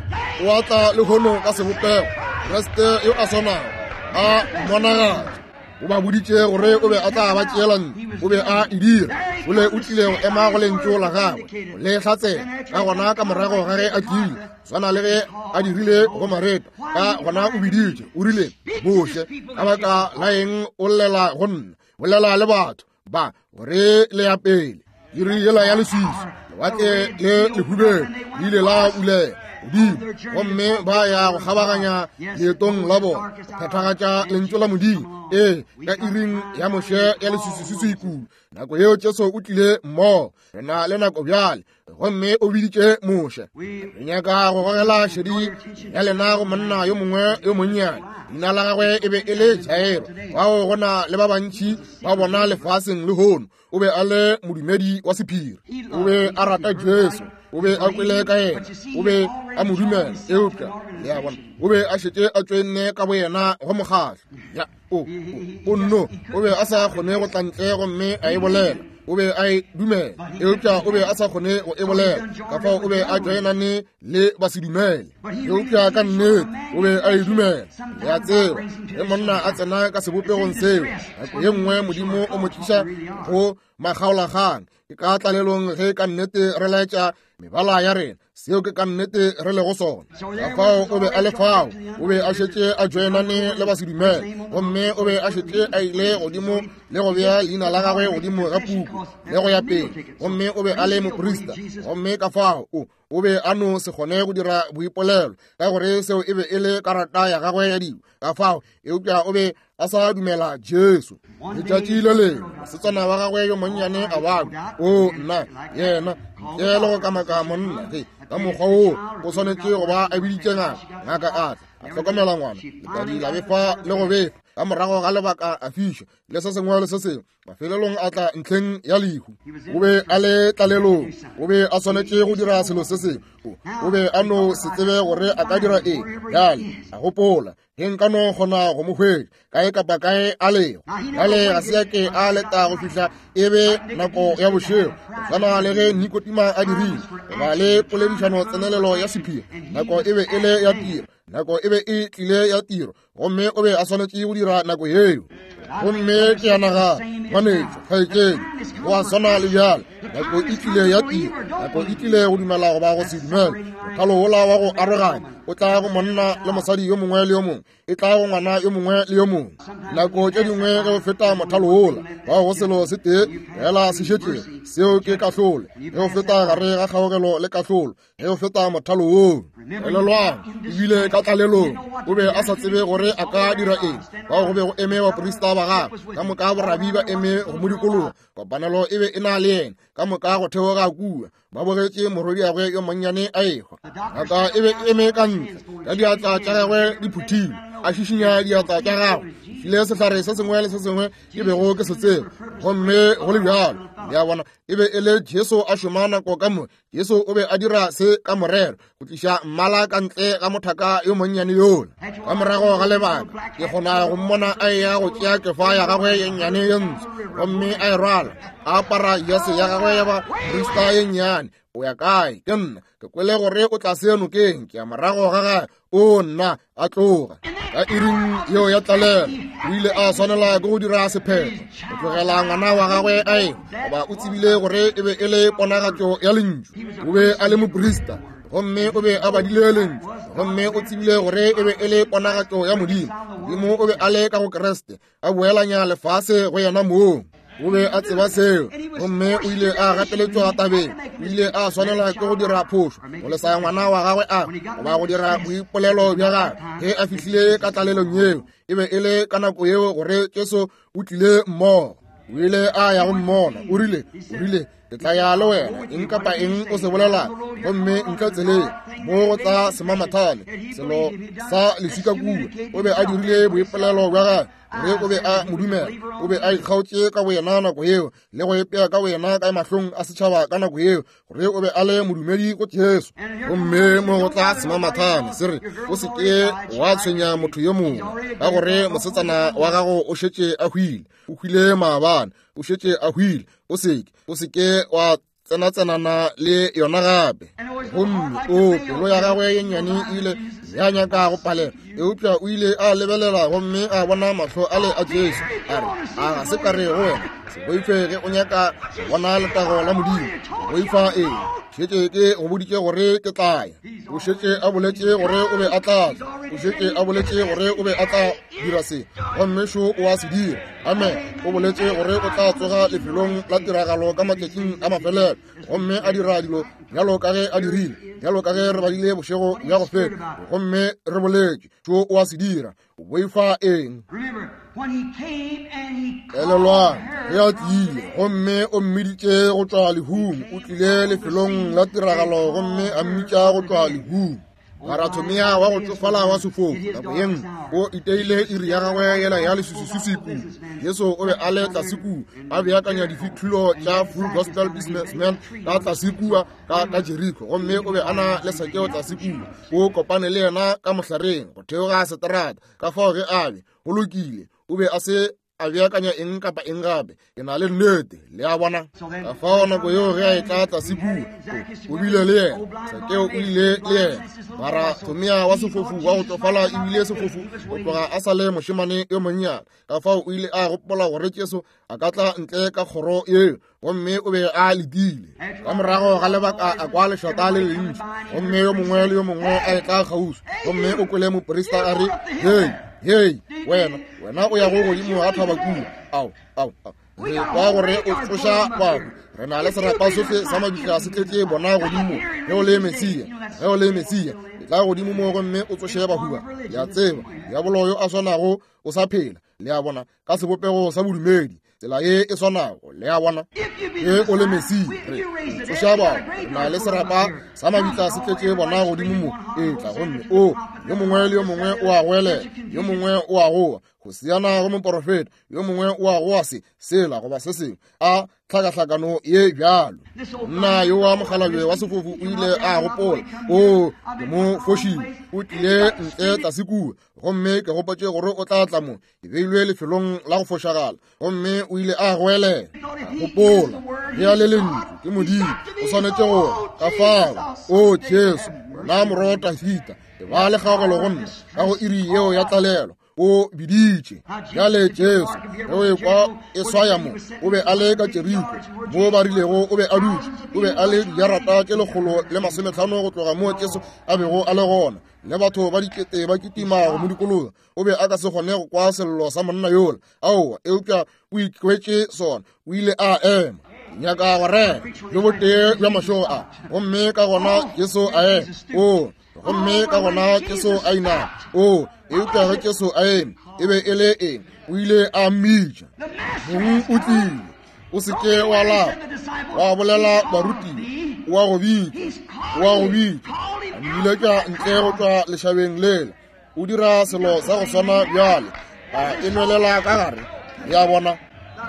o a tla lehono ka sebopego Kriste yo a swanago a mmonagatša. O ba boditše gore o be a tla ba tšeela ntle, o be a e dira. Ole o tlile go ema go lentšu la gagwe, go le hlatsela. Ka gona ka morago ga ge a tlile, swana le ge a dirile go Mareta, ka gona o biditše, o rile, Moshe, ka baka la eng o llela go nna? Bolela le batho ba gore le ya pele. Iri yela ya leswiswi, lewatle le lehubelo le ile la bulega godimo, gomme ba ya go kgabaganya leetong la bona, go phethagatša lentšu la Modimo. Ee, ka iring ya Moshe ya leswiswi kudu, nako yeo Jesu o tlile mmogo. Re na le nako bjale, gomme o biditše Moshe. Re nyaka go gogela šedi ya lena go monna yo mongwe yo monnyane. Leina la gagwe e be e le Jairo. Bao go na le ba bantši ba bona lefaseng lehono. O be a le modumedi wa sephiri. O be a rata Jesu. O be a kwele ka yena. O be a mo dumela. Eupša le a bona, o be a šetše a tšoenne ka boyena go mokgahlo. Ya, o, o, o nno, o be a sa kgone go tla ntle gomme a e bolela. O be a e dumela, eupša o be a sa kgone go e bolela. Ka fao o be a joinane le basedumele, eupša ka nnete o be a e dumela. Le a tseba, ge monna a tsena ka sebopegong seo, nako ye nngwe Modimo o mo tliša go makgaolakgang. Ke ka tlalelong ge ka nnete re laetša mebala ya rena, seo ke ka nnete re lego sona. Ka fao o be a le fao, o be a šetše a joinane le basedumele, gomme o be a šetše a ile godimo le go bea leina la gagwe godimo ga puku le go ya pele, gomme o be a le moprista. Gomme ka fao o o be a no se kgone go dira boipolelo, ka gore seo e be e le karata ya gagwe ya dibo. Ka fao eupša o be a sa dumela Jesu. Letšatši le lengwe mosetsana wa gagwe yo monnyane a babja. O nna, yena ntle le go kamaka monna ge ka mokgwa woo o swanetše go ba a biditše ngaka. Ngaka a tla, A hlokomela ngwana, letadi la befa le go befa, ka morago ga lebaka a fiša, le se sengwe le se sengwe. Mafelelong a tla ntlheng ya lehu. O be a le tlalelong, o be a swanetše go dira selo se sengwe. O be a no se tsebe gore a ka dira eng. Bjale a gopola, ge nka no kgona go mo hwetša kae kapa kae a lego. Bjale ga se ya ke a leta go fihla e be nako ya bošego, go swana le ge Nikodima a dirile, goba le poledišano tsenelelo ya sephiri. Nako e be e le ya tiro, nako e be e tlile ya tiro, gomme o be a swanetše go dira nako yeo. Gomme ke a nagana, ngwanetšo, kgaetšedi, go a swana le bjale. Nako e tlile ya tiro, nako e tlile go dumela goba go se dumele. Mothalo wola wa go aroganya o tla go monna le mosadi yo mongwe le yo mongwe, e tla go ngwana yo mongwe le yo mongwe. Nako tše dingwe ge o feta mothalo wola, bao go selo se tee fela se šetšego, seo ke kahlolo. Ge o feta gare ga kgaogelo le kahlolo, ge o feta mothalo woo, elelwang, ebile ka tlalelong o be a sa tsebe gore a ka dira eng. Bao go be go eme baprista ba gagwe ka moka, borabi ba eme go mo dikologa, kopanelo e be e na le yena ka moka go theoga kua. Ba bogetše morwediagwe yo monnyane a ehwa. Ngaka e be eme ka ntle ka diatla tša gagwe di phuthilwe, a šišinya diatla tša gagwe, file sehlare se sengwe le se sengwe ke bego ke se tseba. Gomme go le bjalo, le a bona, e be e le Jesu a šoma nako ka moka. Jesu o be a dira se ka morero, go tliša mmala ka ntle ga mothaka yo monnyane yola. Ka morago ga lebaka, ke kgona go mmona a eya go tšea kefa ya gagwe ye nnyane ye ntsho, gomme a e rwala, a apara jase ya gagwe ya baprista ye nnyane. O ya kae? Ke nna ke kwele gore o tla se nokeng, ke ya morago ga gagwe. O nna a tloga. Ka iring yeo ya tlalelo, o ile a swanela ke go dira sephetho, go tlogela ngwana wa gagwe a ehwa, goba o tsebile gore e be e le ponagatšo ya lentšu. O be a le moprista, gomme o be a badile lentšu, gomme o tsebile gore e be e le ponagatšo ya Modimo. Modimo o be a le ka go Kriste, a boelanya lefase go yena mong. O be a tseba seo, gomme o ile a gateletšwa tabeng. O ile a swanela ke go dira phošo, go lesa ngwana wa gagwe a goba go dira boipolelo bja gagwe. Ge a fihlile ka tlalelong yeo, e be e le ka nako yeo gore Jesu o tlile mmogo. O ile a ya go mmona, o rile, o rile, ke tla ya le wena, eng kapa eng o se bolelang. Gomme ntle tseleng mo go tla semamathane, selo sa leswika kua. O be a dirile boipolelo bja gagwe gore o be a mo dumela. O be a ikgaotše ka boyena nako yeo, le go ipea ka boyena ka mahlong a setšhaba ka nako yeo, gore o be a le modumedi go Jesu. Gomme mo go tla semamathane se re, o se ke wa tshwenya motho yo mongwe, ka gore mosetsana wa gago o šetše a hwile, o hwile maabane, o šetše a hwile. O se ke, o se ke wa tsenatsenana le yona gape. Gomme o pelo ya gagwe ye nnyane e ile ya nyaka go palela, eupša o ile a lebelela gomme a bona mahlo ale a Jesu. A re, a ga se ka re go wena, se boife ge o nyaka go bona letago la Modimo. Boifa eng? Šetše ke go boditše gore ke tla ya. O šetše a boletše gore o be a tla tla. O šetše a boletše gore o be a tla dira se, gomme šo o a se dira. Amen. O boletše gore o tla tsoga lefelong la tiragalo ka matšatšing a mafelelo, gomme a dira dilo bjalo ka ge a dirile, bjalo ka ge re badile bošego bja go feta, gomme re boletše. Šo o a se dira. O boifa eng? Elelwang, ge a tlile gomme o mmiditše go tšwa lehung, o tlile lefelong la tiragalo gomme a mmitša go tšwa lehung. Barathomea wa go tsofala wa sefofu nako ye nngwe o iteile iri ya gagwe yela ya leswiswiswi kua. Jesu o be a le tlase kua a beakanya difihlolo tša Full Gospel Businessman ka tlase kua ka ka Jericho, gomme o be a na le Sakeo tlase kua. O kopane le yena ka mohlareng go theoga seterata. Ka fao ge a be go lokile, o be a se a beakanya eng kapa eng gape. Ke na le nnete, le a bona. Ka fao nako yeo ge a etla tlase kua, o bile le yena. Sakeo o ile le yena. Barathomea wa sefofu wa go tsofala ebile sefofu go tloga a sa le mošemane yo monnyane. Ka fao o ile a gopola gore Jesu a ka tla ntle ka kgoro yeo, gomme o be a letile. Ka morago ga lebaka a kwa lešata le lentši, gomme yo mongwe le yo mongwe a etla kgauswi, gomme o kwele moprista a re, hei, hei, wena, wena o ya go godimo ga thaba kua. Ao, ao, ao. Re kwa gore o tsoša bahu. Re na le serapa sohle sa mabitla se tletše bona godimo. Ge o le Mesia, ge o le Mesia, etla godimo mo gomme o tsoše bahu ba. Le a tseba, diabolo yo a swanago o sa phela, le a bona, ka sebopego sa bodumedi. tsela ye e swanago. Le a bona, ge o le Mesia, re tsoša batho, re na le serapa sa mabitla se tletše bona godimo mo, etla gomme o yo mongwe le yo mongwe o a goelela, yo mongwe o a goa Hosiana go moporofeta, yo mongwe o a goa se sela goba se sengwe, a tlhakahlakano ye bjalo. Nna yo wa mokgalabje wa sefofu o ile a gopola, o ke mo fošile, o tlile ntle tlase kua, gomme ke gopotše gore o tla tla mo, ke beilwe lefelong la go fošagala, gomme o ile a goelela. A gopola, ge a le lentšu ke Modimo, o swanetše gore ka fao, o Jesu, wena morwa wa Dafita, e ba le kgaogelo go nna ka go iri yeo ya tlalelo. O biditše. Bjale Jesu ge o ekwa e swaya mo, o be a le ka Jeriko mo ba rilego o be a dutše, o be a le dijarata tše lekgolo le masometlhano go tloga mo Jesu a bego a le gona, le batho ba dikete ba kitima go mo dikologa. O be a ka se kgone go kwa sello sa monna yola, aowa, eupša o ikwetše sona, o ile a ema. Nyaka go rera bjo botee bja mašego a, gomme ka gona Jesu a ema. O gomme ka gona Jesu a inama. O eupša ge Jesu a eme, e be e le eng? O ile a mmitša. Mong o tlile, o se ke wa lapa, wa bolela barutiwa, o a go bitša, o a go bitša, a mmiletša ntle go tšwa lešabeng lela. O dira selo sa go swana bjale, a e nwelela ka gare. Le a bona,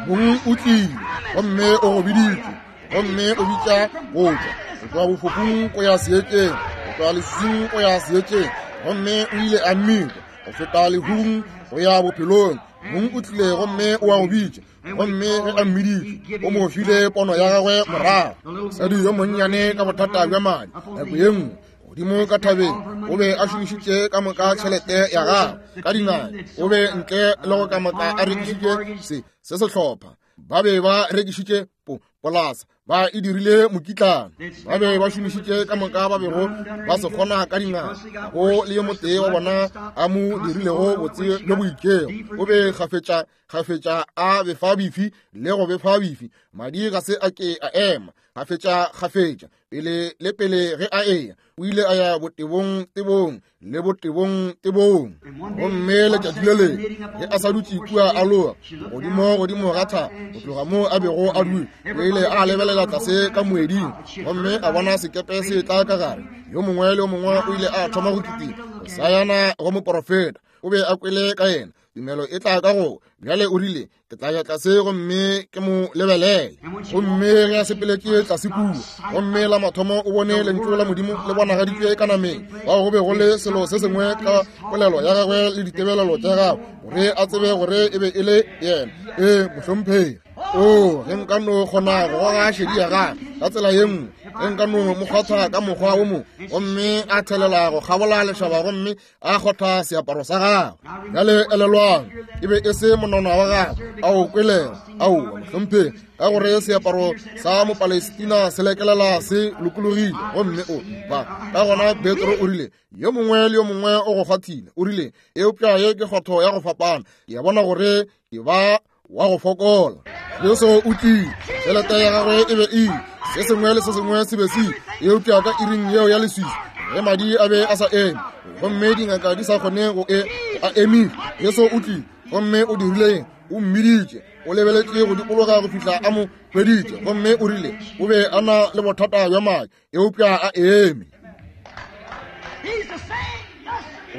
mong o tlile, gomme o go biditše, gomme o bitša go tšwa go tšwa bofofung go ya seetšeng, go tšwa leswiswing go ya seetšeng, gomme o ile a mmitša go feta lehung go ya bophelong. Mong o tlile gomme o a go bitša, gomme ge a mmiditše o mo file pono ya gagwe morago. Mosadi yo monnyane ka bothata bja madi nako ye nngwe godimo ka thabeng, o be a šomišitše ka moka tšhelete ya gagwe ka dingaka, o be ntle le go ka moka a rekišitše se se sehlopha, ba be ba rekišitše po polasa, ba e dirile mokitlana, ba be ba šomišitše ka moka ba bego ba se kgona ka dingaka. Go le yo motee wa bona a mo dirilego botse bjo bo itšego, o be kgafetša kgafetša a befa bifi le go befa bifi, madi ga se a ke a ema, kgafetša kgafetša pele le pele ge a eya, o ile a ya botebong tebong le botebong tebong. Gomme letšatši le lengwe ge a sa dutše kua a loga godimo godimo ga thaba go tloga mo a bego a dule, o ile a lebelela tlase ka moeding gomme a bona sekepe se tla ka gare. Yo mongwe le yo mongwe o ile a thoma go kitima go sayana go moporofeta. O be a kwele ka yena, tumelo e tla ka go. Bjale o rile, ke tla ya tlase gomme ke mo lebelele. Gomme ge a sepeletše tlase kua, gomme la mathomo o bone lentšu la Modimo le bonagaditšwe ka nameng, bao go be go le selo se sengwe ka polelo ya gagwe le ditebelelo tša gagwe, gore a tsebe gore e be e le yena. Ee, mohlomphegi. O ge nka no kgona go goga šedi ya gagwe ka tsela ye nngwe, ge nka no mo kgwatha ka mokgwa wo mongwe, gomme a thelela go kgabola lešaba gomme a kgotha seaparo sa gagwe. Bjale elelwang, e be e se monwana wa gagwe a o kwelego, aowa mohlomphegi, ka gore seaparo sa Mopalestina se lekelela se lokologile, gomme o ba ka gona Petro o rile, yo mongwe le yo mongwe o go kgwathile. O rile, eupša ye ke kgotho ya go fapana, ke a bona gore ke ba wa go fokola. Jesu o tlile, tšhelete ya gagwe e be e ile, se sengwe le se sengwe se be se ile, eupša ka iring yeo ya leswiswi ge madi a be a sa eme gomme dingaka di sa kgone go e a emile, Jesu o tlile gomme o dirile eng? O mmiditše, o lebeletše go dikologa go fihla a mo hweditše, gomme o rile o be a na le bothata bja madi, eupša a eme.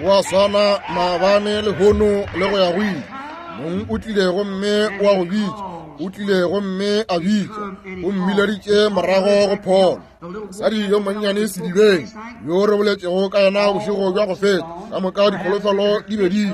Wa swana maabane lehono le go ya go ile. Mong o tlile gomme o a go bitša, o tlile gomme a bitša, o mmileditše morago go pholo. Mosadi yo monnyane sedibeng yo re boletšego ka yena bošego bja go feta, ka moka dikholofelo di be di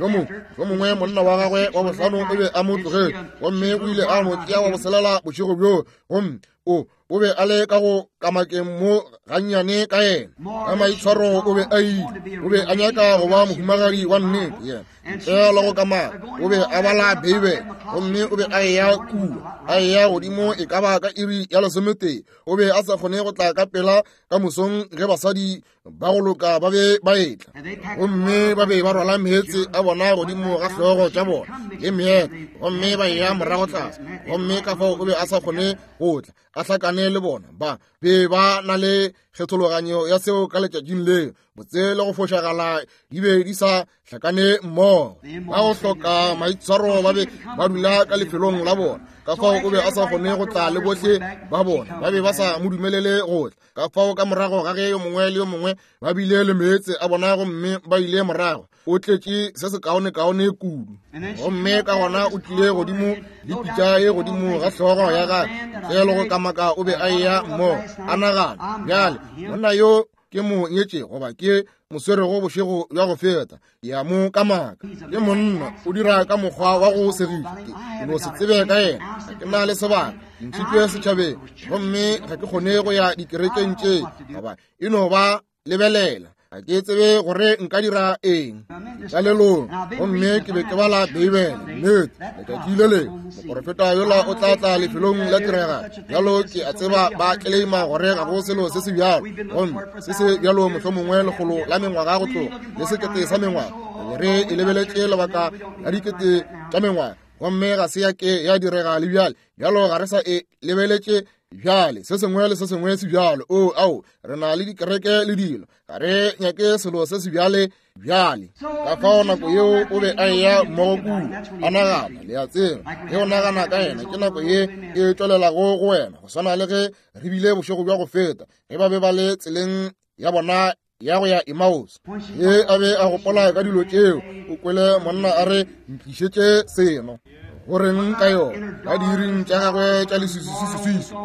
yo mongwe yo mongwe monna wa gagwe wa bohlano o be a mo tlogetše, gomme o ile a mo tšea wa boselela bošego bjo, gomme o o be a le ka go kamakeng mo gannyane ka yena, ka maitshwaro o be a ile, o be a nyaka go ba mohumagadi wa nnete yena ntle le go kamaka. O be a bala Beibele gomme o be a eya kua, a eya godimo e ka ba ka iri ya lesometee. O be a sa kgone go tla ka pela ka mosong ge basadi ba go loka ba be ba etla, gomme ba be ba rwala meetse a bona godimo ga hlogo tša bona le meeta, gomme ba eya morago tlase, gomme ka fao o be a sa kgone go tla a hlakane hlakane le bona. Ba be ba na le kgethologanyo ya seo ka letšatšing leo. Botse le go fošagala di be di sa hlakane mmogo. Ba go hloka maitshwaro ba be ba dula ka lefelong la bona. Ka fao o be a sa kgone go tla le bohle ba bona. Ba be ba sa mo dumelele go tla. Ka fao ka morago ga ge yo mongwe le yo mongwe ba bile le meetse a bona gomme ba ile morago, o tletše se se kaonekaone kudu. Gomme ka gona o tlile godimo le pitša ye godimo ga hlogo ya gagwe. Ntle le go kamaka o be a eya mmogo, a nagana, bjale monna yo ke mo nyetše goba ke mo swerego bošego bja go feta, ke a mo kamaka. Ke monna o dira ka mokgwa wa go segiša. Ke no se tsebe ka yena, ga ke na le sebaka, ke ntšhitšwe setšhabeng gomme ga ke kgone go ya dikerekeng tše, goba e no ba lebelela. Ga ke tsebe gore nka dira eng. Tlalelong, gomme ke be ke bala Beibele. Nnete, letšatši le lengwe moporofeta yola o tla tla lefelong la tiragalo. Bjalo ke a tseba ba tleleima gore ga go selo se se bjalo, gomme se se bjalo mohlomongwe lekgolo la mengwaga go tloga le sekete sa mengwaga. Re e lebeletše lebaka la dikete tša mengwaga, gomme ga se ya ke ya direga le bjale. Bjalo ga re sa e lebeletše bjale. Se sengwe le se sengwe se bjalo. O ao, re na le dikereke le dilo, ga re nyake selo se se bjale bjale. Ka fao nako yeo o be a eya mmogo kudu, a nagana, le a tseba, ge o nagana ka yena ke nako ye e tšwelelago go wena, go swana le ge re bile bošego bja go feta ge ba be ba le tseleng ya bona ya go ya Emmaus. Ge a be a gopola ka dilo tšeo, o kwele monna a re, ntlišetše seno. Go reng ka yona? Ka diiring tša gagwe tša leswiswiswiswi,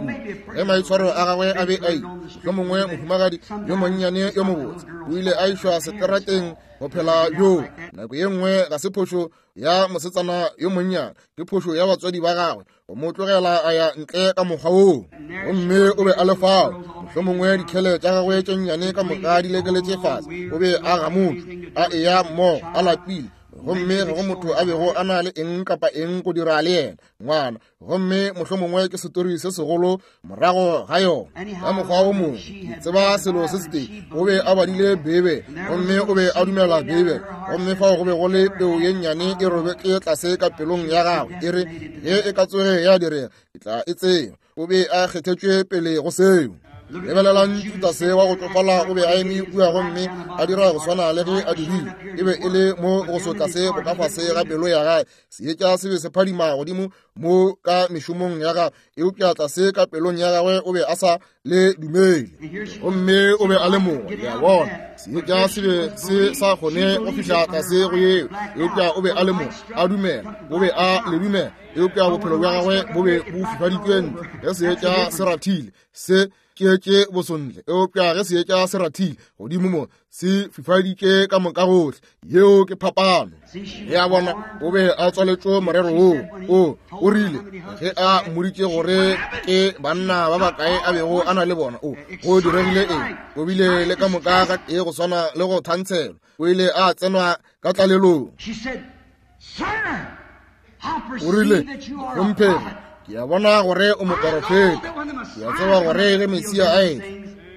ge maitshwaro a gagwe a be a ile, mohlomongwe mohumagadi yo monnyane yo mobotse o ile a išwa seterateng go phela bjoo. Nako ye nngwe ga se phošo ya mosetsana yo monnyane, ke phošo ya batswadi ba gagwe go mo tlogela a ya ntle ka mokgwa woo. Gomme o be a le fao, mohlomongwe dikhele tša gagwe tše nnyane ka moka di lekeletše fase. O be a gamotšwe, a eya mmogo, a lapile, gomme ga go motho a bego a na le eng kapa eng go dira le yena ngwana. Gomme mohlomongwe ke setori se segolo morago ga yona. Ka mokgwa o mongwe, ke tseba selo se setee, o be a badile Beibele, gomme o be a dumela Beibele. Gomme fao go be go le peu ye nnyane e robetše tlase ka pelong ya gagwe, e re, ge e ka tsoge ya direga, ke tla e tseba. O be a kgethetšwe pele go seo. Lebelelang Judase wa go tšofala o be a eme kua gomme a dira go swana le ge a dirile. E be e le mo go sotla se bokafase ga pelo ya gagwe. Seetša se be se phadima godimo mo ka mešomong ya gagwe, eupša tlase ka pelong ya gagwe o be a sa le dumele. Gomme o be a le mongwe, le a bona. Seetša se be se sa kgone go fihla tlase go yeo, eupša o be a le mongwe, a dumela. O be a le dumela, eupša bophelo bja gagwe bo be bo fifaditšwe ntle. Ge seetša se rathile, se tšeetše bosontle, eupša ge seetša se rathile godimo mo, se fifaditše ka moka gohle. Yeo ke phapano. Ya bona, o be a tswaletšwe morero woo. O o rile ge a mmoditše gore ke banna ba bakae a bego a na le bona, o go diregile eng? O bile le ka moka ga tee go swana le go thantshelwa. O ile a tsenwa ka tlalelong. O rile, Hlomphegi, ke a bona gore o moporofeta. Ke a tseba gore ge Mesia a etla,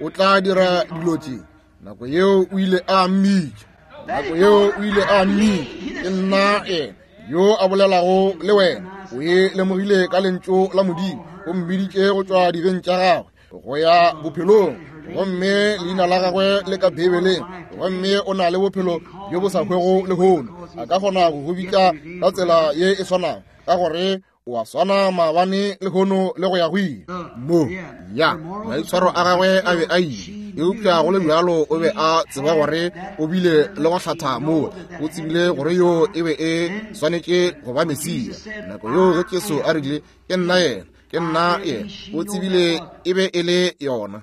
o tla dira dilo tše. Nako yeo o ile a mmitša. Nako yeo o ile a mmitša. Ke nna yena yo a bolelago le wena. O e lemogile ka lentšu la Modimo. O mmiditše go tšwa dibeng tša gagwe go ya bophelong, gomme leina la gagwe le ka Beibeleng, gomme o na le bophelo bjo bo sa hwego lehono. A ka kgona go go bitša ka tsela ye e swanago, ka gore o a swana maabane lehono le go ya go ile. Mo ya maitshwaro a gagwe a be a ile, eupša go le bjalo o be a tseba gore o bile le go hlatha moo. O tsebile gore yo e be e swanetše go ba Mesia. Nako yeo ge Jesu a rile, ke nna yena, ke nna yena, o tsebile e be e le yona.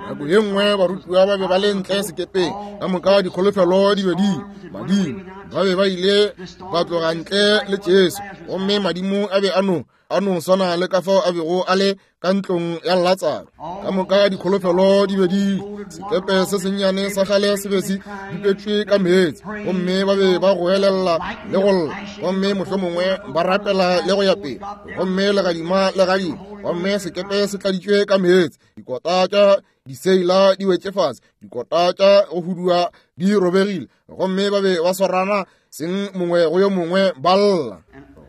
Nako ye nngwe barutiwa ba be ba le ntle sekepeng, ka moka dikholofelo di be di madimo. Ba be ba ile ba tloga ntle le Jesu, gomme madimo a be a no a no swana le ka fao a bego a le ka ntlong ya Latsaro. Ka moka dikholofelo di be di sekepe se sennyane sa kgale se be se bipetšwe ka meetse, gomme ba be ba goelela le go lla, gomme mohlomongwe ba rapela le go ya pele, gomme legadima le gadima, gomme sekepe se tladitšwe ka meetse. Dikota tša diseila di wetše fase, dikota tša go hudua di robegile, gomme ba be ba swarana seng mongwe go yo mongwe ba lla.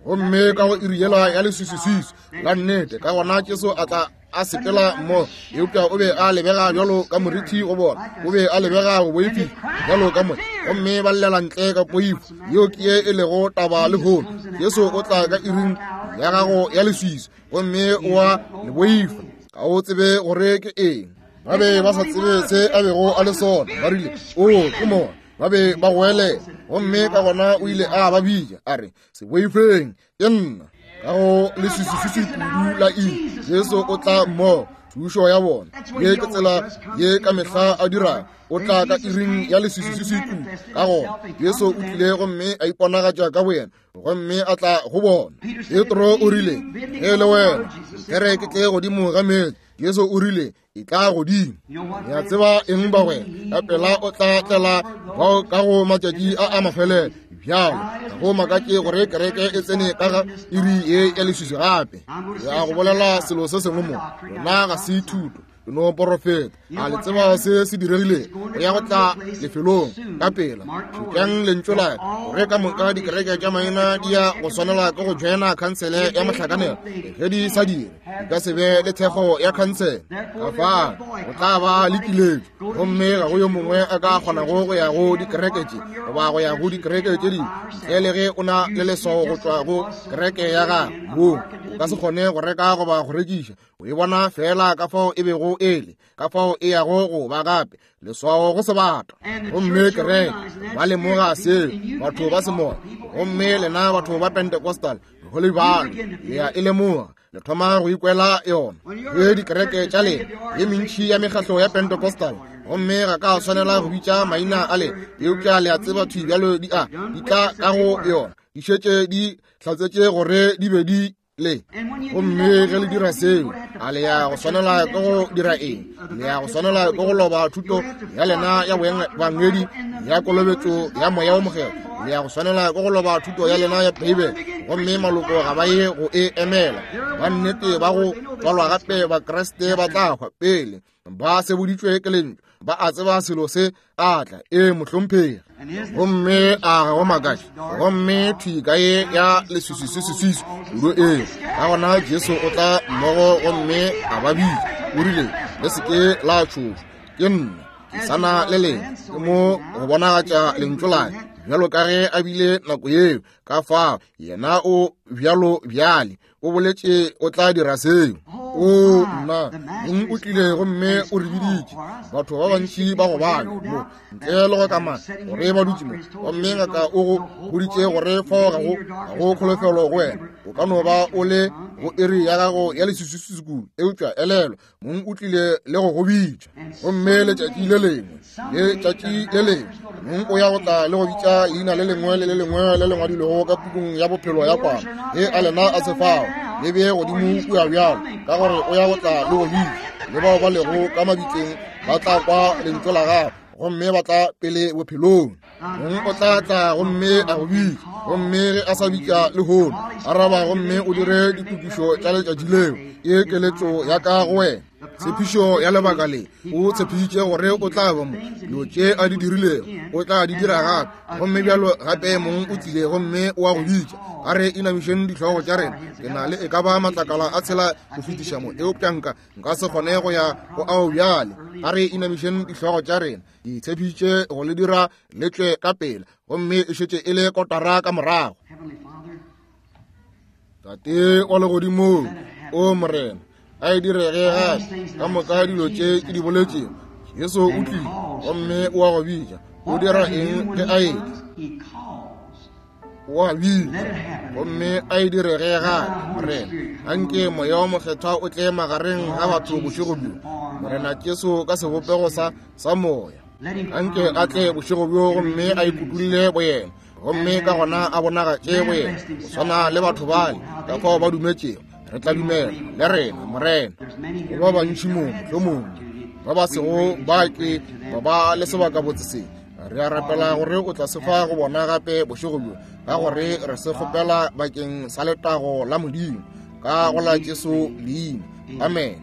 Gomme ka go iri yela ya leswiswiswiswi la nnete, ka gona Jesu a tla a sepela mmogo, eupša o be a lebega bjalo ka morithi go bona, o be a lebega go boifiša bjalo ka moya, gomme ba llela ntle ka poifo. Yeo ke ye e lego taba lehono. Jesu o tla ka iring ya gago ya leswiswi, gomme o a le boifa, ga o tsebe gore ke eng. Ba be ba sa tsebe se a bego a le sona. Ba rile, o ke mona. Ba be ba goelela, gomme ka gona o ile a ba bitša a re, se boifeng, ke nna. Ka go leswiswi kudu la iri, Jesu o tla mmogo thušo ya bona. Ye ke tsela ye ka mehla a dirago, o tla ka iring ya leswiswi kudu. Ka gona Jesu o tlile gomme a iponagatša ka boyena, gomme a tla go bona. Petro o rile, ge le wena nkere ke tle godimo ga meetse. Jesu o rile, e tla godimo. Le a tseba eng bagwera? Ka pela o tla tlela bao ka go matšatši a a mafelelo. Bjalo ga go makatše gore kereke e tsene ka ga iri ye ya leswiswi gape. Ya go bolela selo se sengwe mo, lona ga se thuto, ke no porofeta. A le tseba se se diregilego? Go ya go tla lefelong ka pela. Šetšang lentšu la ka, gore ka moka dikereke tša maina di ya go swanela ke go joina khansele ya mohlakanelo. Ge di sa dire, di ka se be le thekgo ya khansele. Ka fao go tla ba le kiletšo, gomme ga go yo mongwe a ka kgonago go ya go dikereke tše goba go ya go dikereke tše dingwe ntle le ge o na le leswao go tšwa go kereke ya gago. Moo o ka se kgone go reka goba go rekiša. O e bona fela ka fao e bego e le, ka fao e yago go ba gape, leswao go sebata. Gomme kereke ba lemoga seo, batho ba semoya. Gomme lena batho ba Pentecostal go le bjalo, le a e lemoga, le thoma go ikwela yona. Ge dikereke tša lena ye mentši ya mekgahlo ya Pentecostal, gomme ga ka swanela go bitša maina a lena, eupša le a tseba thwi bjalo di a di tla ka go yona, di šetše di hlatsetše gore di be di le. Gomme ge le dira seo, a le ya go swanela ke go dira eng? Le ya go swanela ke go loba thuto ya lena ya boebangedi ya kolobetšo ya moya o mokgethwa. Le ya go swanela ke go loba thuto ya lena ya Beibele, gomme maloko ga ba ye go e emela. Ba nnete ba go tswalwa gape ba Kriste ba tla hwa pele ba seboditšwe ke lentšu, ba a tseba selo se a tla. E mohlomphegi. Gomme a ga go makatše, gomme thwi ka ye ya leswiswi kudu e. Ka gona Jesu o tla mmogo gomme a ba bitša. O rile, le se ke la tšhošwa, ke nna, ke sana le lena. Ke mo go bonagatša lentšu la ka, bjalo ka ge a bile nako yeo. Ka fao yena o bjalo bjale, o boletše o tla dira seo. O nna, mong o tlile gomme o re biditše. Batho ba bantši ba go bala mo ntle le go kamana gore ba dutše mo, gomme ngaka o go boditše gore fao ga go ga go kholofelo go wena. O ka no ba o le go iri ya gago ya leswiswi kudu, eupša elelwa, mong o tlile le go go bitša. Gomme letšatši le lengwe, letšatši le lengwe, mong o ya go tla le go bitša leina le lengwe le le lengwe le le ngwadilwego ka pukung ya bophelo ya kwana. Ge a lena a se fao, le bee godimo kua bjalo, ka gore o ya go tla le go bitša. Le bao ba lego ka mabitleng ba tla kwa lentšu la gago, gomme ba tla pele bophelong. Mong o tla tla gomme a go bitša, gomme ge a sa bitša lehono, araba gomme o dire ditokišo tša letšatši leo. Ye keletšo ya ka go wena. Tshepišo ya lebaka le, o tshepišitše gore o tla ba mo. Dilo tše a di dirilego, o tla di dira gape. Gomme bjalo gape mong o tlile gomme o a go bitša. A re inamišeng dihlogo tša rena. Ke na le e ka ba matlakala a tshela go fetiša mo, eupša nka nka se kgone go ya go ao bjale. A re inamišeng dihlogo tša rena. Ke tshepišitše go le dira le tšwe ka pela, gomme e šetše e le kotara ka morago. Tate wa legodimong, o Morena, a e direge gape ka moka dilo tše ke di boletšego. Jesu o tlile gomme o a go bitša. O dira eng ge a etla? O a bitša gomme a e direge gape. Morena, anke moya o mokgethwa o tle magareng ga batho bošego bjo. Morena Jesu ka sebopego sa sa moya, anke a tle bošego bjo gomme a ikutulle boyena, gomme ka gona a bonagatše boyena go swana le batho bale ka fao ba dumetšego. Re tla dumela le rena, Morena. Go ba bantši mo mohlomongwe ba ba sego ba ke ba ba le sebaka botse se. Re a rapela gore o tla se fa go bona gape bošego bjo, ka gore re se kgopela bakeng sa letago la Modimo, ka go la Jesu leina. Amen.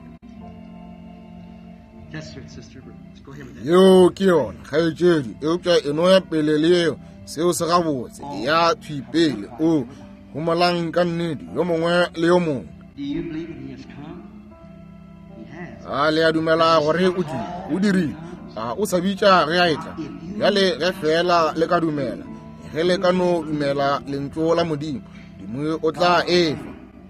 Yeo ke yona, kgaetšedi, eupša e no ya pele le yeo. Seo se gabotse, ya thwi pele. O homolang ka nnete, yo mongwe le yo mongwe. Do you believe he has come? A le a dumela gore o tlile? O dirile. A o sa bitša ge a etla? Bjale ge fela le ka dumela, ge le ka no dumela lentšu la Modimo, Modimo o tla efa.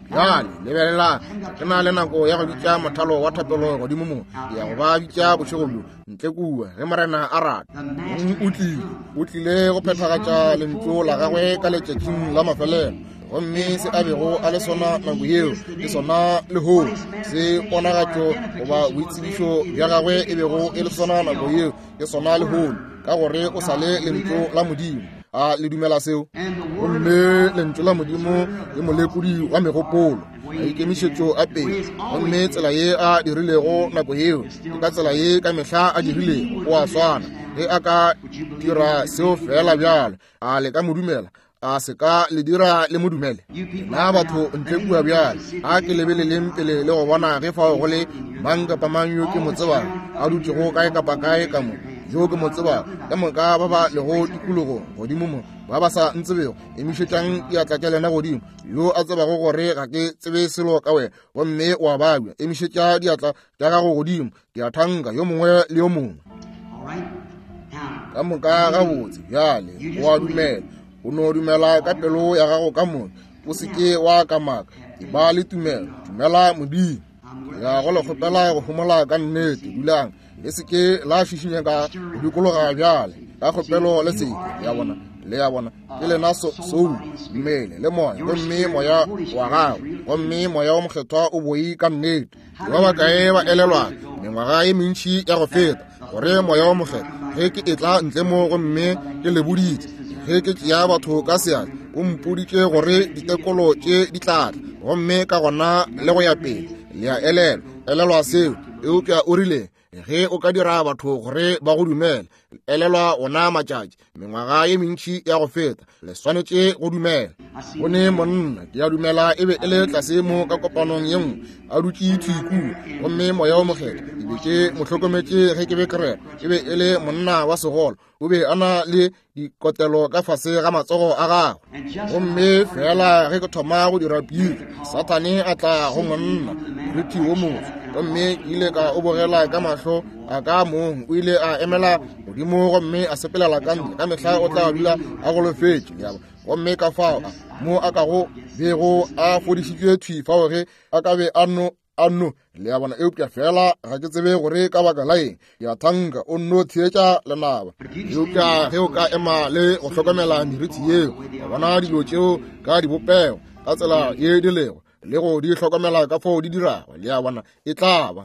Bjale lebelela, ke na le nako ya go bitša mothalo wa thapelo godimo mo. Ke ya go ba bitša bošego bjo ntle kua ge Morena a rata. O tlile, o tlile go phethagatša lentšu la gagwe ka letšatšing la mafelelo. Gomme se a bego a le sona nako yeo ke sona lehono. Se ponagatšo goba boitsebišo bja gagwe e bego e le sona nako yeo ke sona lehono, ka gore o sa le lentšu la Modimo. A le dumela seo? Gomme lentšu la Modimo ke molekodi wa megopolo, maikemišetšo a pele. Gomme tsela ye a dirilego nako yeo ke ka tsela ye ka mehla a dirilego. O a swana. Ge a ka dira seo fela bjalo, a le ka mo dumela? A se ka le dira le mo dumele? Na batho ntle kua bjale, a ke lebeleleng pele le go bona ge fao go le mang kapa mang yo ke mo tsebang a dutšego kae kapa kae ka mo, yo ke mo tsebang, ka moka ba ba lego tikologong godimo mo, ba ba sa ntsebego, emišetšang diatla tša lena godimo. Yo a tsebago gore ga ke tsebe selo ka wena, gomme wa babja, emišetša diatla tša gago godimo. Ke a thanka yo mongwe le yo mongwe. Ka moka gabotse. Bjale o a dumela, o no dumela ka pelo ya gago ka moka, o se ke wa kamaka. E ba le tumelo, dumela Modimo. Ya go le kgopela go homola ka nnete. Dulang, le se ke la šišinya ka go dikologa bjale. Ka kgopelo le seke, ya bona, le ya bona, ke lena soul, mmele le moya, gomme moya wa gago, gomme moya wa mokgethwa o boi ka nnete. Ba bakae ba elelwa mengwaga ye mentši ya go feta gore moya wa mokgethwa ge ke etla ntle mo gomme ke le boditše, ge ke tšea batho ka seatla, o mpoditše gore ditekolo tše di tla tla, gomme ka gona le go ya pele. Le a elelwa, elelwa seo. Eupša o rile ge o ka dira batho gore ba go dumele, elelwa ona matšatši, mengwaga ye mentši ya go feta, le swanetše go dumela. Go ne monna, ke a dumela e be e le tlase mo ka kopanong ye nngwe, a dutše thwi kua, gomme moya wo mokgethwa ke be ke mo hlokometše ge ke be ke rera. E be e le monna wa segolo, o be a na le dikotelo ka fase ga matsogo a gagwe. Gomme fela ge ke thoma go dira piri, Sathane a tla go monna morithi wo moso, gomme ke ile ka o bogela ka mahlo a ka mong. O ile a emela godimo gomme a sepelela ka ntle. Ka mehla o tla dula a golofetše, gomme ka fao mo a kago bego a fodišitšwe thwi fao ge a ka be a no a no le a bona. Eupša fela ga ke tsebe gore ka baka la eng, ke a thanka o nno theetša lenaba. Eupša ge o ka ema le go hlokomela merithi yeo, wa bona dilo tšeo ka dibopego ka tsela ye di lego, le go di hlokomela ka fao di dirago, le a bona, e tla ba.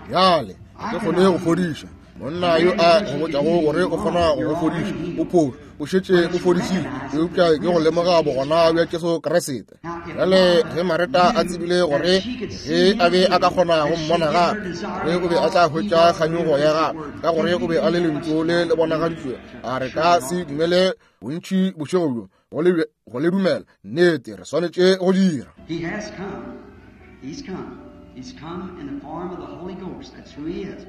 Bjale ga ke kgone go fodiša monna yo a go botšago gore o kgona go go fodiša, o phošo, o šetše o fodišitše. Eupša ke go lemoga bogona bja Jesu Kriste. Bjale ge Mareta a tsebile gore ge a be a ka kgona go mmona gape, gore o be a tla hwetša kganyogo ya gagwe, ka gore o be a le lentšu le le bonagaditšwe, a re ka se dumele bontši bošego bjo go le go le dumela. Nnete, re swanetše go dira. He has come. He's come. He's come in the form of the Holy Ghost. That's who he is.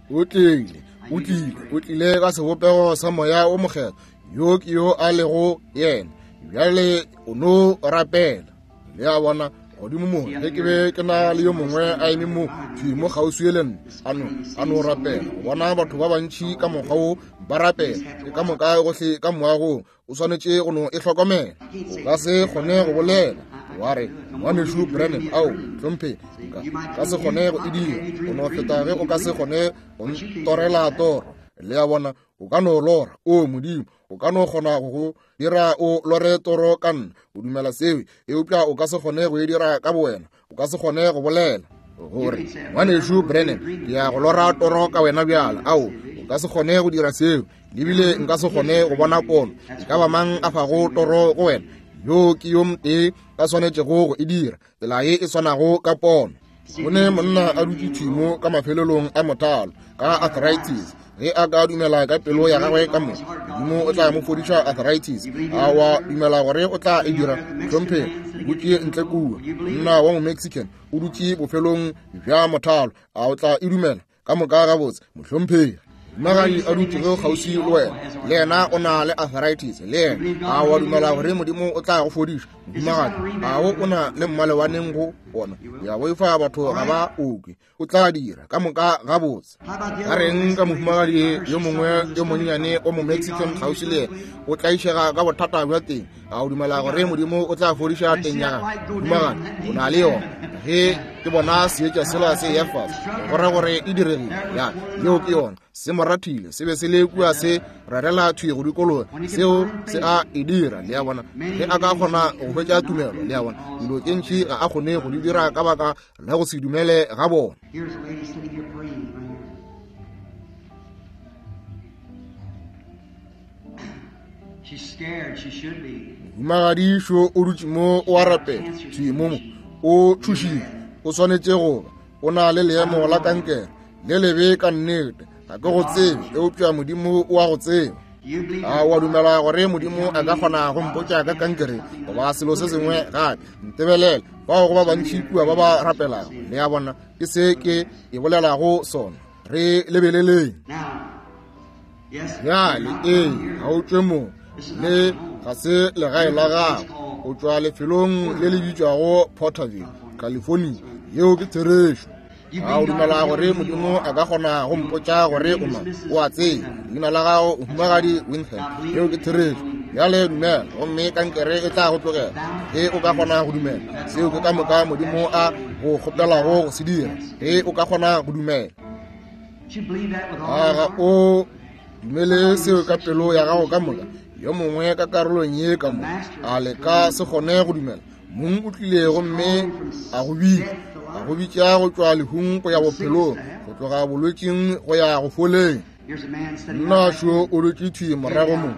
O tlile, o tlile, o tlile ka sebopego sa moya o mokgethwa. Yo ke yo a lego yena. Bjale o no rapela. Le a bona, godimo mo, ge ke be ke na le yo mongwe a eme mo thwi mo kgauswi le nna, a no a no rapela. Go bona batho ba bantši ka mokgwa wo ba rapela, ke ka moka gohle ka moagong, o swanetše go no e hlokomela. O ka se kgone go bolela wa re, ngwanešu Branham, ao hlomphe, nka ka se kgone go e dira. O no feta ge o ka se kgone go ntorela toro. Le a bona, o ka no lora, o Modimo, o ka no kgona go go dira o lore toro ka nna, o dumela seo, eupša o ka se kgone go e dira ka bowena. O ka se kgone go bolela gore, ngwanešu Branham, ke ya go lora toro ka wena bjala. Ao, o ka se kgone go dira seo. Lebile nka se kgone go bona pono. E ka ba mang a fago toro go wena, yo ke yo motee a swanetšego go e dira, tsela ye e swanago ka pono. Go ne monna a dutše thwi mo ka mafelelong a mothalo ka arthritis. Ge a ka dumela ka pelo ya gagwe ka moka, Modimo o tla mo fodiša arthritis. A wa dumela gore o tla e dira? Hlomphe, o dutše ntle kua, monna wa mo-Mexican o dutše bofelong bja mothalo. A o tla e dumela? Ka moka gabotse, mohlomphegi. Mohumagadi a dutšego kgauswi le wena, le yena o na le arthritis, le yena. A wa dumela gore Modimo o tla go fodiša? Mohumagadi, a o o na le mmalewaneng go Ona ya boifa batho ga ba okwe. O tla dira ka moka gabotse. Ka reng ka mohumagadi yo mongwe yo monnyane o mo Mexican kgauswi le yena, o tlaišega ka bothata bja teng. A o dumela gore Modimo o tla fodiša teng ya gagwe? Mohumagadi, o na le yona. Ge ke bona seetša sela se ya fase, go ra gore e diregile. Ya, yeo ke yona. Se mo rathile, se be se le kua se rarela thwi go dikologa. Seo se a e dira, le a bona. Ge a ka kgona go hwetša tumelo, le a bona. Dilo tše ntši ga a kgone go di dira ka baka la go se dumele ga bona. Here's a lady sitting here praying right here. She's scared. She should be. Mohumagadi šo o dutše mo o a rapela thwi mo mo. O tšhošitše, o swanetše go ba. O na le leemo la kankere le lebe ka nnete. Ga ke go tsebe, eupša Modimo o a go tseba. A o a dumela gore Modimo a ka kgona go mpotša ka kankere goba selo se sengwe gape? Ntebelele, bao go ba bantši kua ba ba rapelago. Le a bona, ke se ke e bolelago sona. Re lebeleleng. Now, yes, Bjale, ee, ga o tšwe mo. Le ga se legae la gago. O tšwa lefelong le le bitšwago Porterville, California. Yeo ke therešo. A o dumela gore Modimo a ka kgona go mpotša gore o mang? O a tseba. Leina la gago Mohumagadi Winham. Yeo ke therešo. Bjale dumela, gomme kankere e tla go tlogela. Ge o ka kgona go dumela, seo ke ka moka Modimo a go kgopelago go se dira. Ge o ka kgona go dumela. You believe that with all A your ga heart? o dumele seo ka pelo ya gago ka moka? Yo mongwe ka karolong ye ka mo, a le ka se kgone go dumela? Mong o tlile gomme a go bitša, a go bitša go tšwa lehung go ya bophelong, go tloga bolwetšing go ya go foleng. Here's a man sitting Nna right šo o dutše thwi morago mo,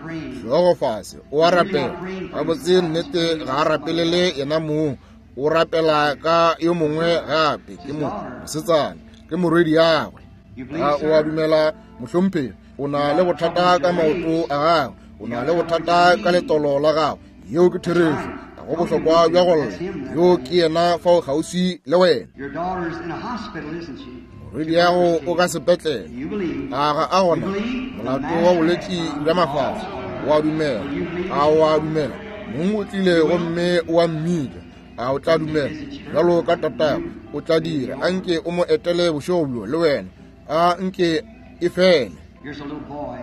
hlogo fase, o a rapela. Gabotse nnete ga a rapelele yena mong, o rapela ka yo mongwe gape, ke mo mosetsana, ke morwedi yagwe. You believe, A o a sir? dumela, mohlomphegi? O na le bothata ka maoto a gago, o na le bothata ka letolo la gago. Yeo ke therešo. Ga go bohlokwa bja go lla. Yo ke yena fao kgauswi le wena. Your daughter's in a hospital, isn't she? Morwedi yago o ka sepetlele. You believe. A ga a gona molato wa bolwetši bja mafahla. O a dumela? A o a dumela? Mong o tlile gomme o a mmitša. A o tla dumela? Bjalo ka tatago, o tla dira. A nke o mo etele bošego bjo le wena. A nke e fele. Here's a little boy,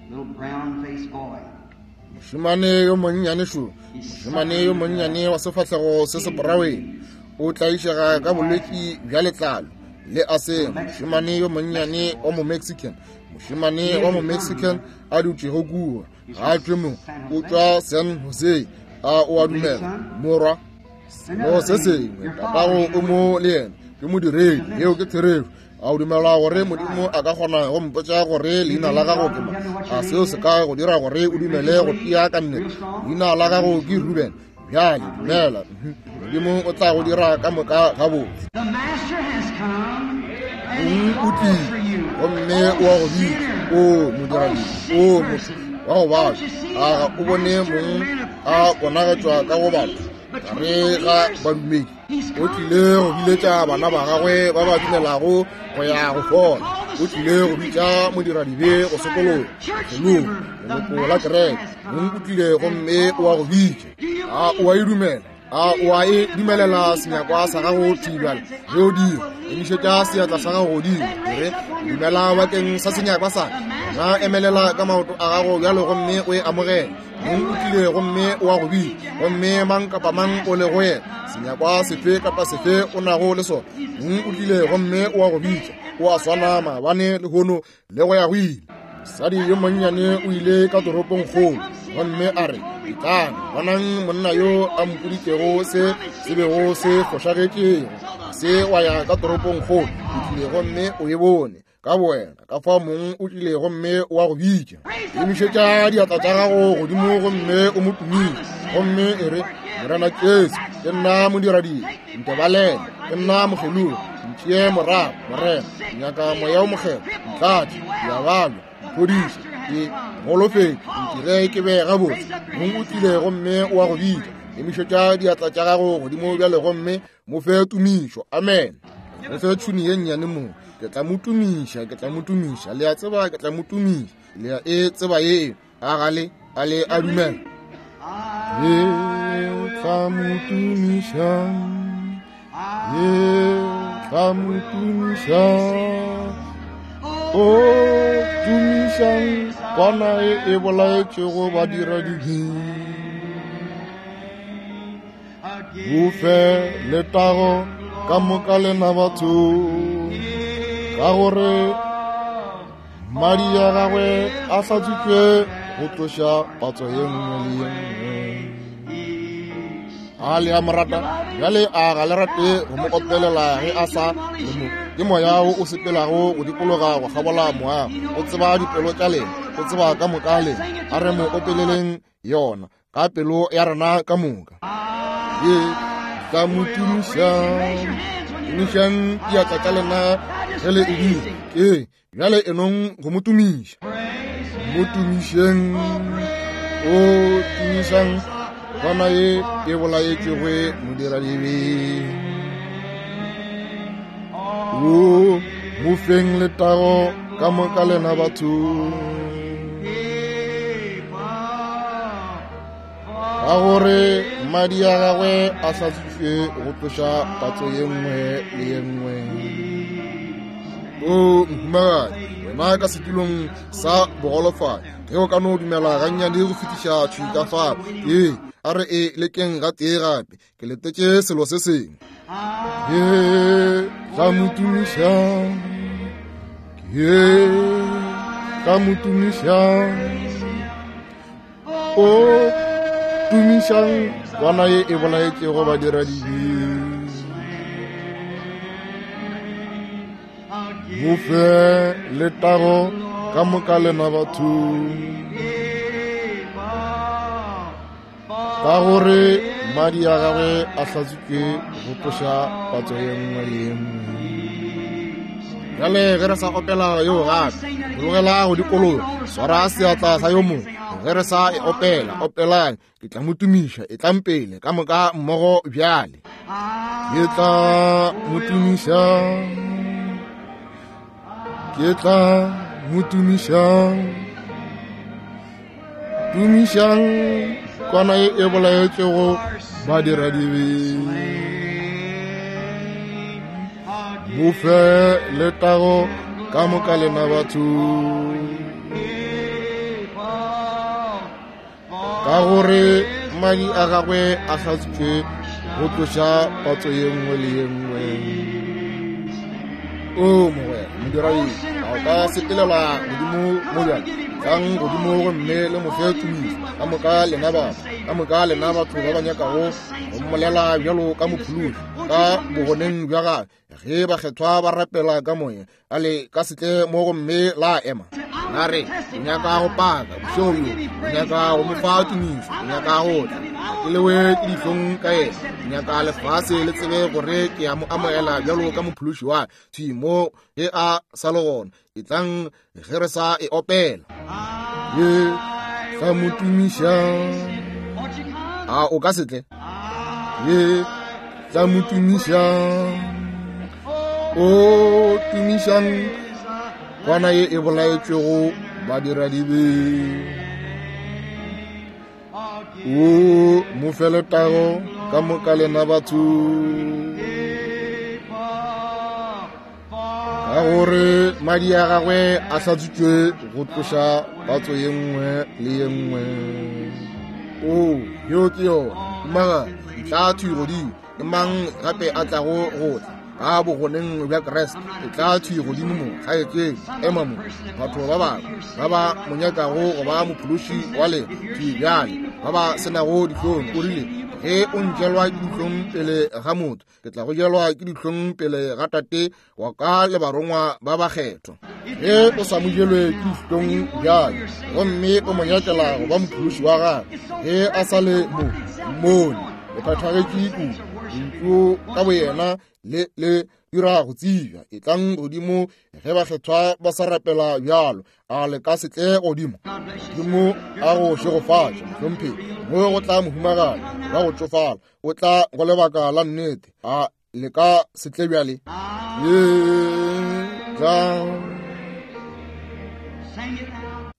little brown-faced boy. Mošemane yo monnyane šo, mošemane yo monnyane wa sefahlego se seporaweng, o tlaišega ka bolwetši bja letlalo le asema. Mošemane yo monnyane wa mo Mexican, mošemane wa mo Mexican a dutšego kua, ga a tšwe mo, o tšwa San Jose. A o a dumela, morwa? Selo se sengwe, tatago o mo le yena, ke modiredi. Yeo ke therešo. A o dumela gore Modimo a ka kgona go mpotša gore leina la gago ke mang? A seo se ka go dira gore o dumele go tia ka nnete? Leina la gago ke Ruben. Bjale dumela, Modimo o tla go dira ka moka gabotse. The master has come and he Mong o calls tlile for you. gomme o a go bitša. O modiradibe, o motho wa go babja, a ga o bone mong a bonagatšwa ka go batho gare ga badumedi? O tlile go biletša bana ba gagwe ba ba dumelago go ya go fola. O tlile go bitša modiradibe go sokologa pelong, leloko la kereke. Mong o tlile gomme o a go bitša. A o a e dumela? A o a e dumelela senyakwa sa gago thwi bjale? Ge o dira, emišetša seatla sa gago godimo, e re, dumela bakeng sa senyakwa sa ka. Na emelela ka maoto a gago bjalo gomme o e amogele. Mong o tlile gomme o a go bitša, gomme mang kapa mang o le go yena, senyakwa sefe kapa sefe o nago le sona. Mong o tlile gomme o a go bitša, o a swana maabane, lehono le go ya go ile. Mosadi yo monnyane o ile ka toropongkgolo gomme a re, etlang, bonang monna yo a mpoditšego se se bego se fošagetšego. Se wa ya ka toropongkgolo, o tlile gomme o e bone ka bowena. Ka fao mong o tlile gomme o a go bitša. Emišetša diatla tša gago godimo gomme o mo tumiše, gomme e re, Morena Jesu, ke nna modiradibe, ntebalele, ke nna mokgelogi, ntšee morago, Morena, ke nyaka moya o mokgethwa, ntlatše, ke a babja, mphodiše, ke golofetše, ntire ke be gabotse. Mong o tlile gomme o a go bitša. Emišetša diatla tša gago godimo bjale gomme mo fe tumišo. Amen. Re fe tšhuni ye nnyane mo. Ke tla mo tumiša, ke tla mo tumiša. Le a tseba ke tla mo tumiša. Le a e tseba ye. A ga le, a le a dumela. Ke tla mo tumiša. Ke tla mo tumiša. O tumišang kwana e e bolaetšego badiradibe. Mo fe letago ka moka lena batho, ka gore madi a gagwe a hlatswitšwe go tloša patso ye nngwe le ye nngwe. A le a mo rata? Bjale a ga le rate go mo opelela ge a sa le mo? Ke moya wo o sepelago go dikologa go kgabola moago. O tseba dipelo tša lena, o tseba ka moka lena. A re mo opeleleng yona ka pelo ya rena ka moka. Ke tla mo tumiša. Tumišang diatla tša lena ge le e dira. Ke bjale enong go mo tumiša. Mo tumišeng. O tumišang kwana ye e bolaetšego modiradibe. O mo feng letago ka moka lena batho, ka gore madi a gagwe a hlatswitšwe go tloša patso ye nngwe le ye nngwe. O mohumagadi, wena ka setulong sa bogolofadi, ge o ka no dumela gannyane go fetiša thwi ka fao, ee, a re e lekeng gatee gape, ke letetše selo se sengwe. Ke tla mo tumiša. Ke tla mo tumiša. O tumišang kwana ye e bolaetšego badiradibe. Mo fe letago ka moka lena batho, ka gore madi a gagwe a hlatswitšwe go tloša patso ye nngwe le ye nngwe. Bjale ge re sa opela yeo gape, bologela go dikologa, swara seatla sa yo mongwe. Ge re sa e opela, opelang, ke tla mo tumiša. E tlang pele ka moka mmogo bjale. Ke tla mo tumiša. Ke tla mo tumiša. Tumišang kwana ye e bolaetšego badiradibe. Mo fe letago ka moka lena batho, ka gore madi a gagwe a hlatswitšwe go tloša patso ye nngwe le ye nngwe. O mogwera modiradibe, a o ka sepelela godimo mo bjale? Tlang godimo gomme le mo fe tumišo ka moka lena batho, ka moka lena batho ba ba nyakago go mmolela bjalo ka mophološi ka bogoneng bja gagwe. Ge bakgethwa ba rapela ka moya, a le ka se tle mo gomme la ema. La re, o nyaka go paka bošego bjo, o nyaka go mo fa tumišo, o nyaka go tla. Ga ke lewe ke dihlong ka yena. Ke nyaka lefase le tsebe gore ke a mo amogela bjalo ka mophološi wa thwi mo ge a sa le gona. E tlang ge re sa e opela. Ke tla mo tumiša. A o ka se tle? Ke tla mo tumiša. O tumišang kwana ye e bolaetšwego badiradibe. O mo fe letago ka moka lena batho, ka gore madi a gagwe a hlatswitšwe go tloša patso ye nngwe le ye nngwe. O yeo ke yona. Mohumagadi, e tla thwi godimo. Ke mang gape a tlago go tla ka bogoneng bja Kriste? E tla thwi godimo mo, kgaetšedi, ema mo. Batho ba bangwe ba ba mo nyakago go ba mophološi wa lena thwi bjale, ba ba senago dihlong. O rile, ge o ntšelwa ke dihlong pele ga motho, ke tla go jelwa ke dihlong pele ga Tate wa ka le barongwa ba bakgethwa. Ge o sa mo jelwe ke dihlong bjale gomme o mo nyakela go ba mophološi wa gagwe, ge a sa le mo mmone, o phethagetše kudu. Lentšu ka boyena le le dira go tsebja. E tlang godimo ge bakgethwa ba sa rapela bjalo. A le ka se tle godimo? Modimo a go šegofatše, mohlomphegi. Mo go tla mohumagadi wa go tšofala, o tla go lebaka la nnete. A le ka se tle bjale? Ye tla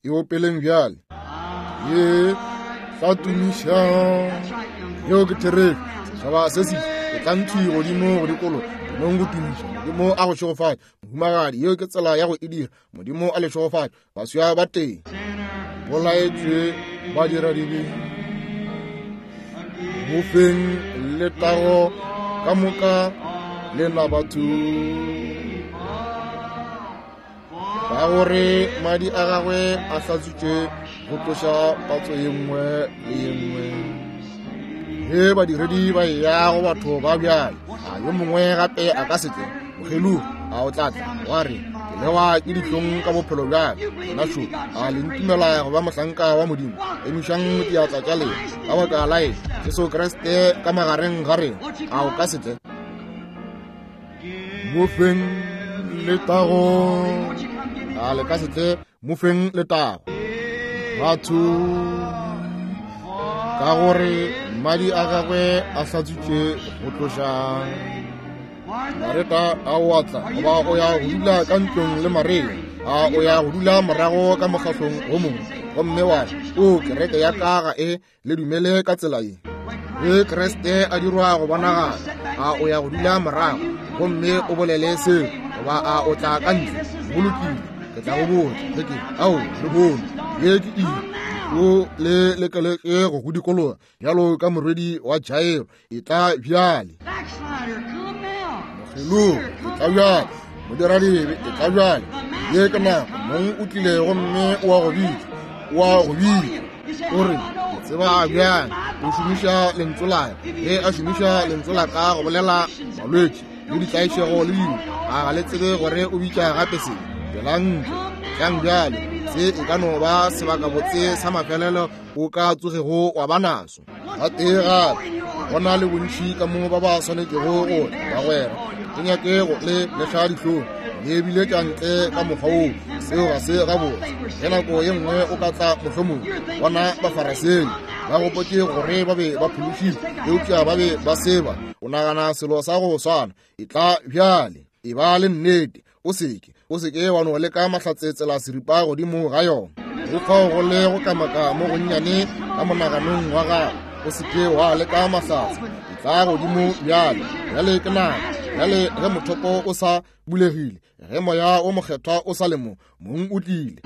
e opeleng bjale. Ye tla tumiša. Yeo ke therešo. Setšhaba se se Etlang thwi godimo go dikologa, nong go tumiša Modimo a go šegofatše. Mohumagadi, yeo ke tsela ya go e dira. Modimo a le šegofatše. Baswa ba teng bolaetšwe ba dira dibe. Mofeng letago ka moka lena batho, ka gore madi a gagwe a hlatswitše go tloša patso ye nngwe le ye nngwe. Ge badiredi ba eya go batho ba bjale, a yo mongwe gape a ka se tle mokgelogi, a o tla tla wa re, ke lewa ke dihlong ka bophelo bjaka. Nna šo, a le ntumela go ba mohlanka wa Modimo? Emišang diatla tša lena ka baka la eng? Jesu Kriste ka magareng ga rena, a o ka se tle? Mofeng letago, a le ka se tle? Mofeng letago batho, ka gore madi a gagwe a hlatswitše go tloša. Mareta a o atla goba o ya go dula ka ntlong le Maria, a o ya go dula morago ka mokgahlong o mongwe, gomme wa re, o kereke ya ka ga e le dumele ka tsela ye. Ge Kriste a dirwa go bonagala, a o ya go dula morago gomme o bolele seo, goba a o tla ka ntle? Go lokile, ke tla go botša ge ke ao le bone ye ke iri o le lekeletše go go dikologa bjalo ka morwedi wa Jairo. E tla bjale, mokgelogi, e tla bjale, modiradibe, e tla bjale. Ye ke nako mong o tlile gomme o a go bitša, o a go bitša. O re, ke tseba bjang? O šomiša lentšu la ka. Ge a šomiša lentšu la ka go bolela malwetši le ditlaišego le dilo, a ga le tsebe gore o bitša gape se? Tšwelang ntle, tlang bjale. Se e ka no ba sebakabotse sa mafelelo o ka tsogego wa ba naso. Gatee gape, go na le bontši ka mo ba ba swanetšego go tla, bagwera. Ke nyake go le leša dihlong, le biletša ntle ka mokgwa woo. Seo ga se gabotse. Ge nako ye nngwe o ka tla mohlomong bona Bafarasei ba gopotše gore ba be ba phološitšwe, eupša ba be ba seba. O nagana selo sa go swana. E tla bjale, e ba le nnete. O seke, o seke wa no leka mahlatse tsela seripa godimo ga yona. Go fao go le go kamaka mo gonnyane ka monaganong wa gago. O seke wa leka mahlatse. E tla godimo bjale. Bjale ke nako. Bjale ge mothopo o sa bulegile, ge moya o mokgethwa o sa le mo, mong o tlile.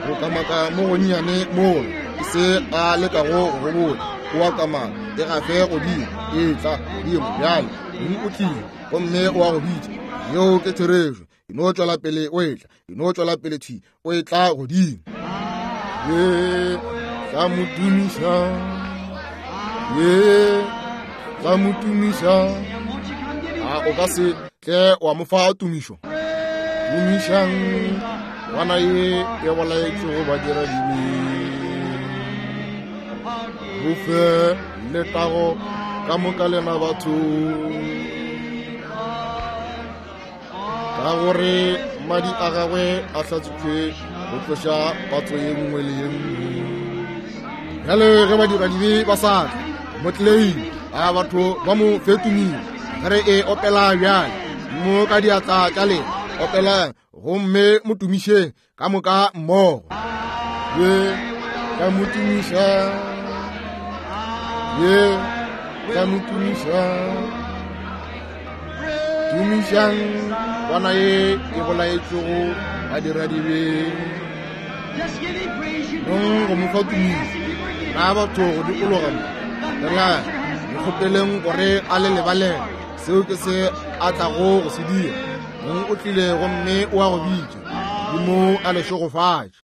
Go kamaka mo gonnyane mola ke se a lekago go botša. O a kamaka, e gafe godimo, e tla godimo bjale. Mong o tlile gomme o a go bitša. Yeo ke therešo. E no tšwela pele o etla, e no tšwela pele thwi o etla godimo. Ye tla mo tumiša, ye tla mo tumiša. A o ka se tle wa mo fa tumišo? Tumišang ngwana ye e bolaetšego badiradibe. Bofe letago ka moka lena batho, ka gore madi a gagwe a hlatswitšwe go tloša patso ye nngwe le ye nngwe. Bjale ge badiradibe ba sa tla mo tleile, a batho ba mo fetumile. Ge re e opela bjale mo ka diatla tša lena, opelang gomme mo tumišeng ka moka mmogo. Ye ka mo tumiša, ye ka mo tumiša. Tumišang kwana ye e bolaetšwego badiradibe. Nong go mo fa tumišo. Na batho go dikologa mo, rapelang, le kgopeleng gore a le lebalele. Seo ke se a tlago go se dira. Mong o tlile gomme o a go bitša. Modimo a le šegofatše.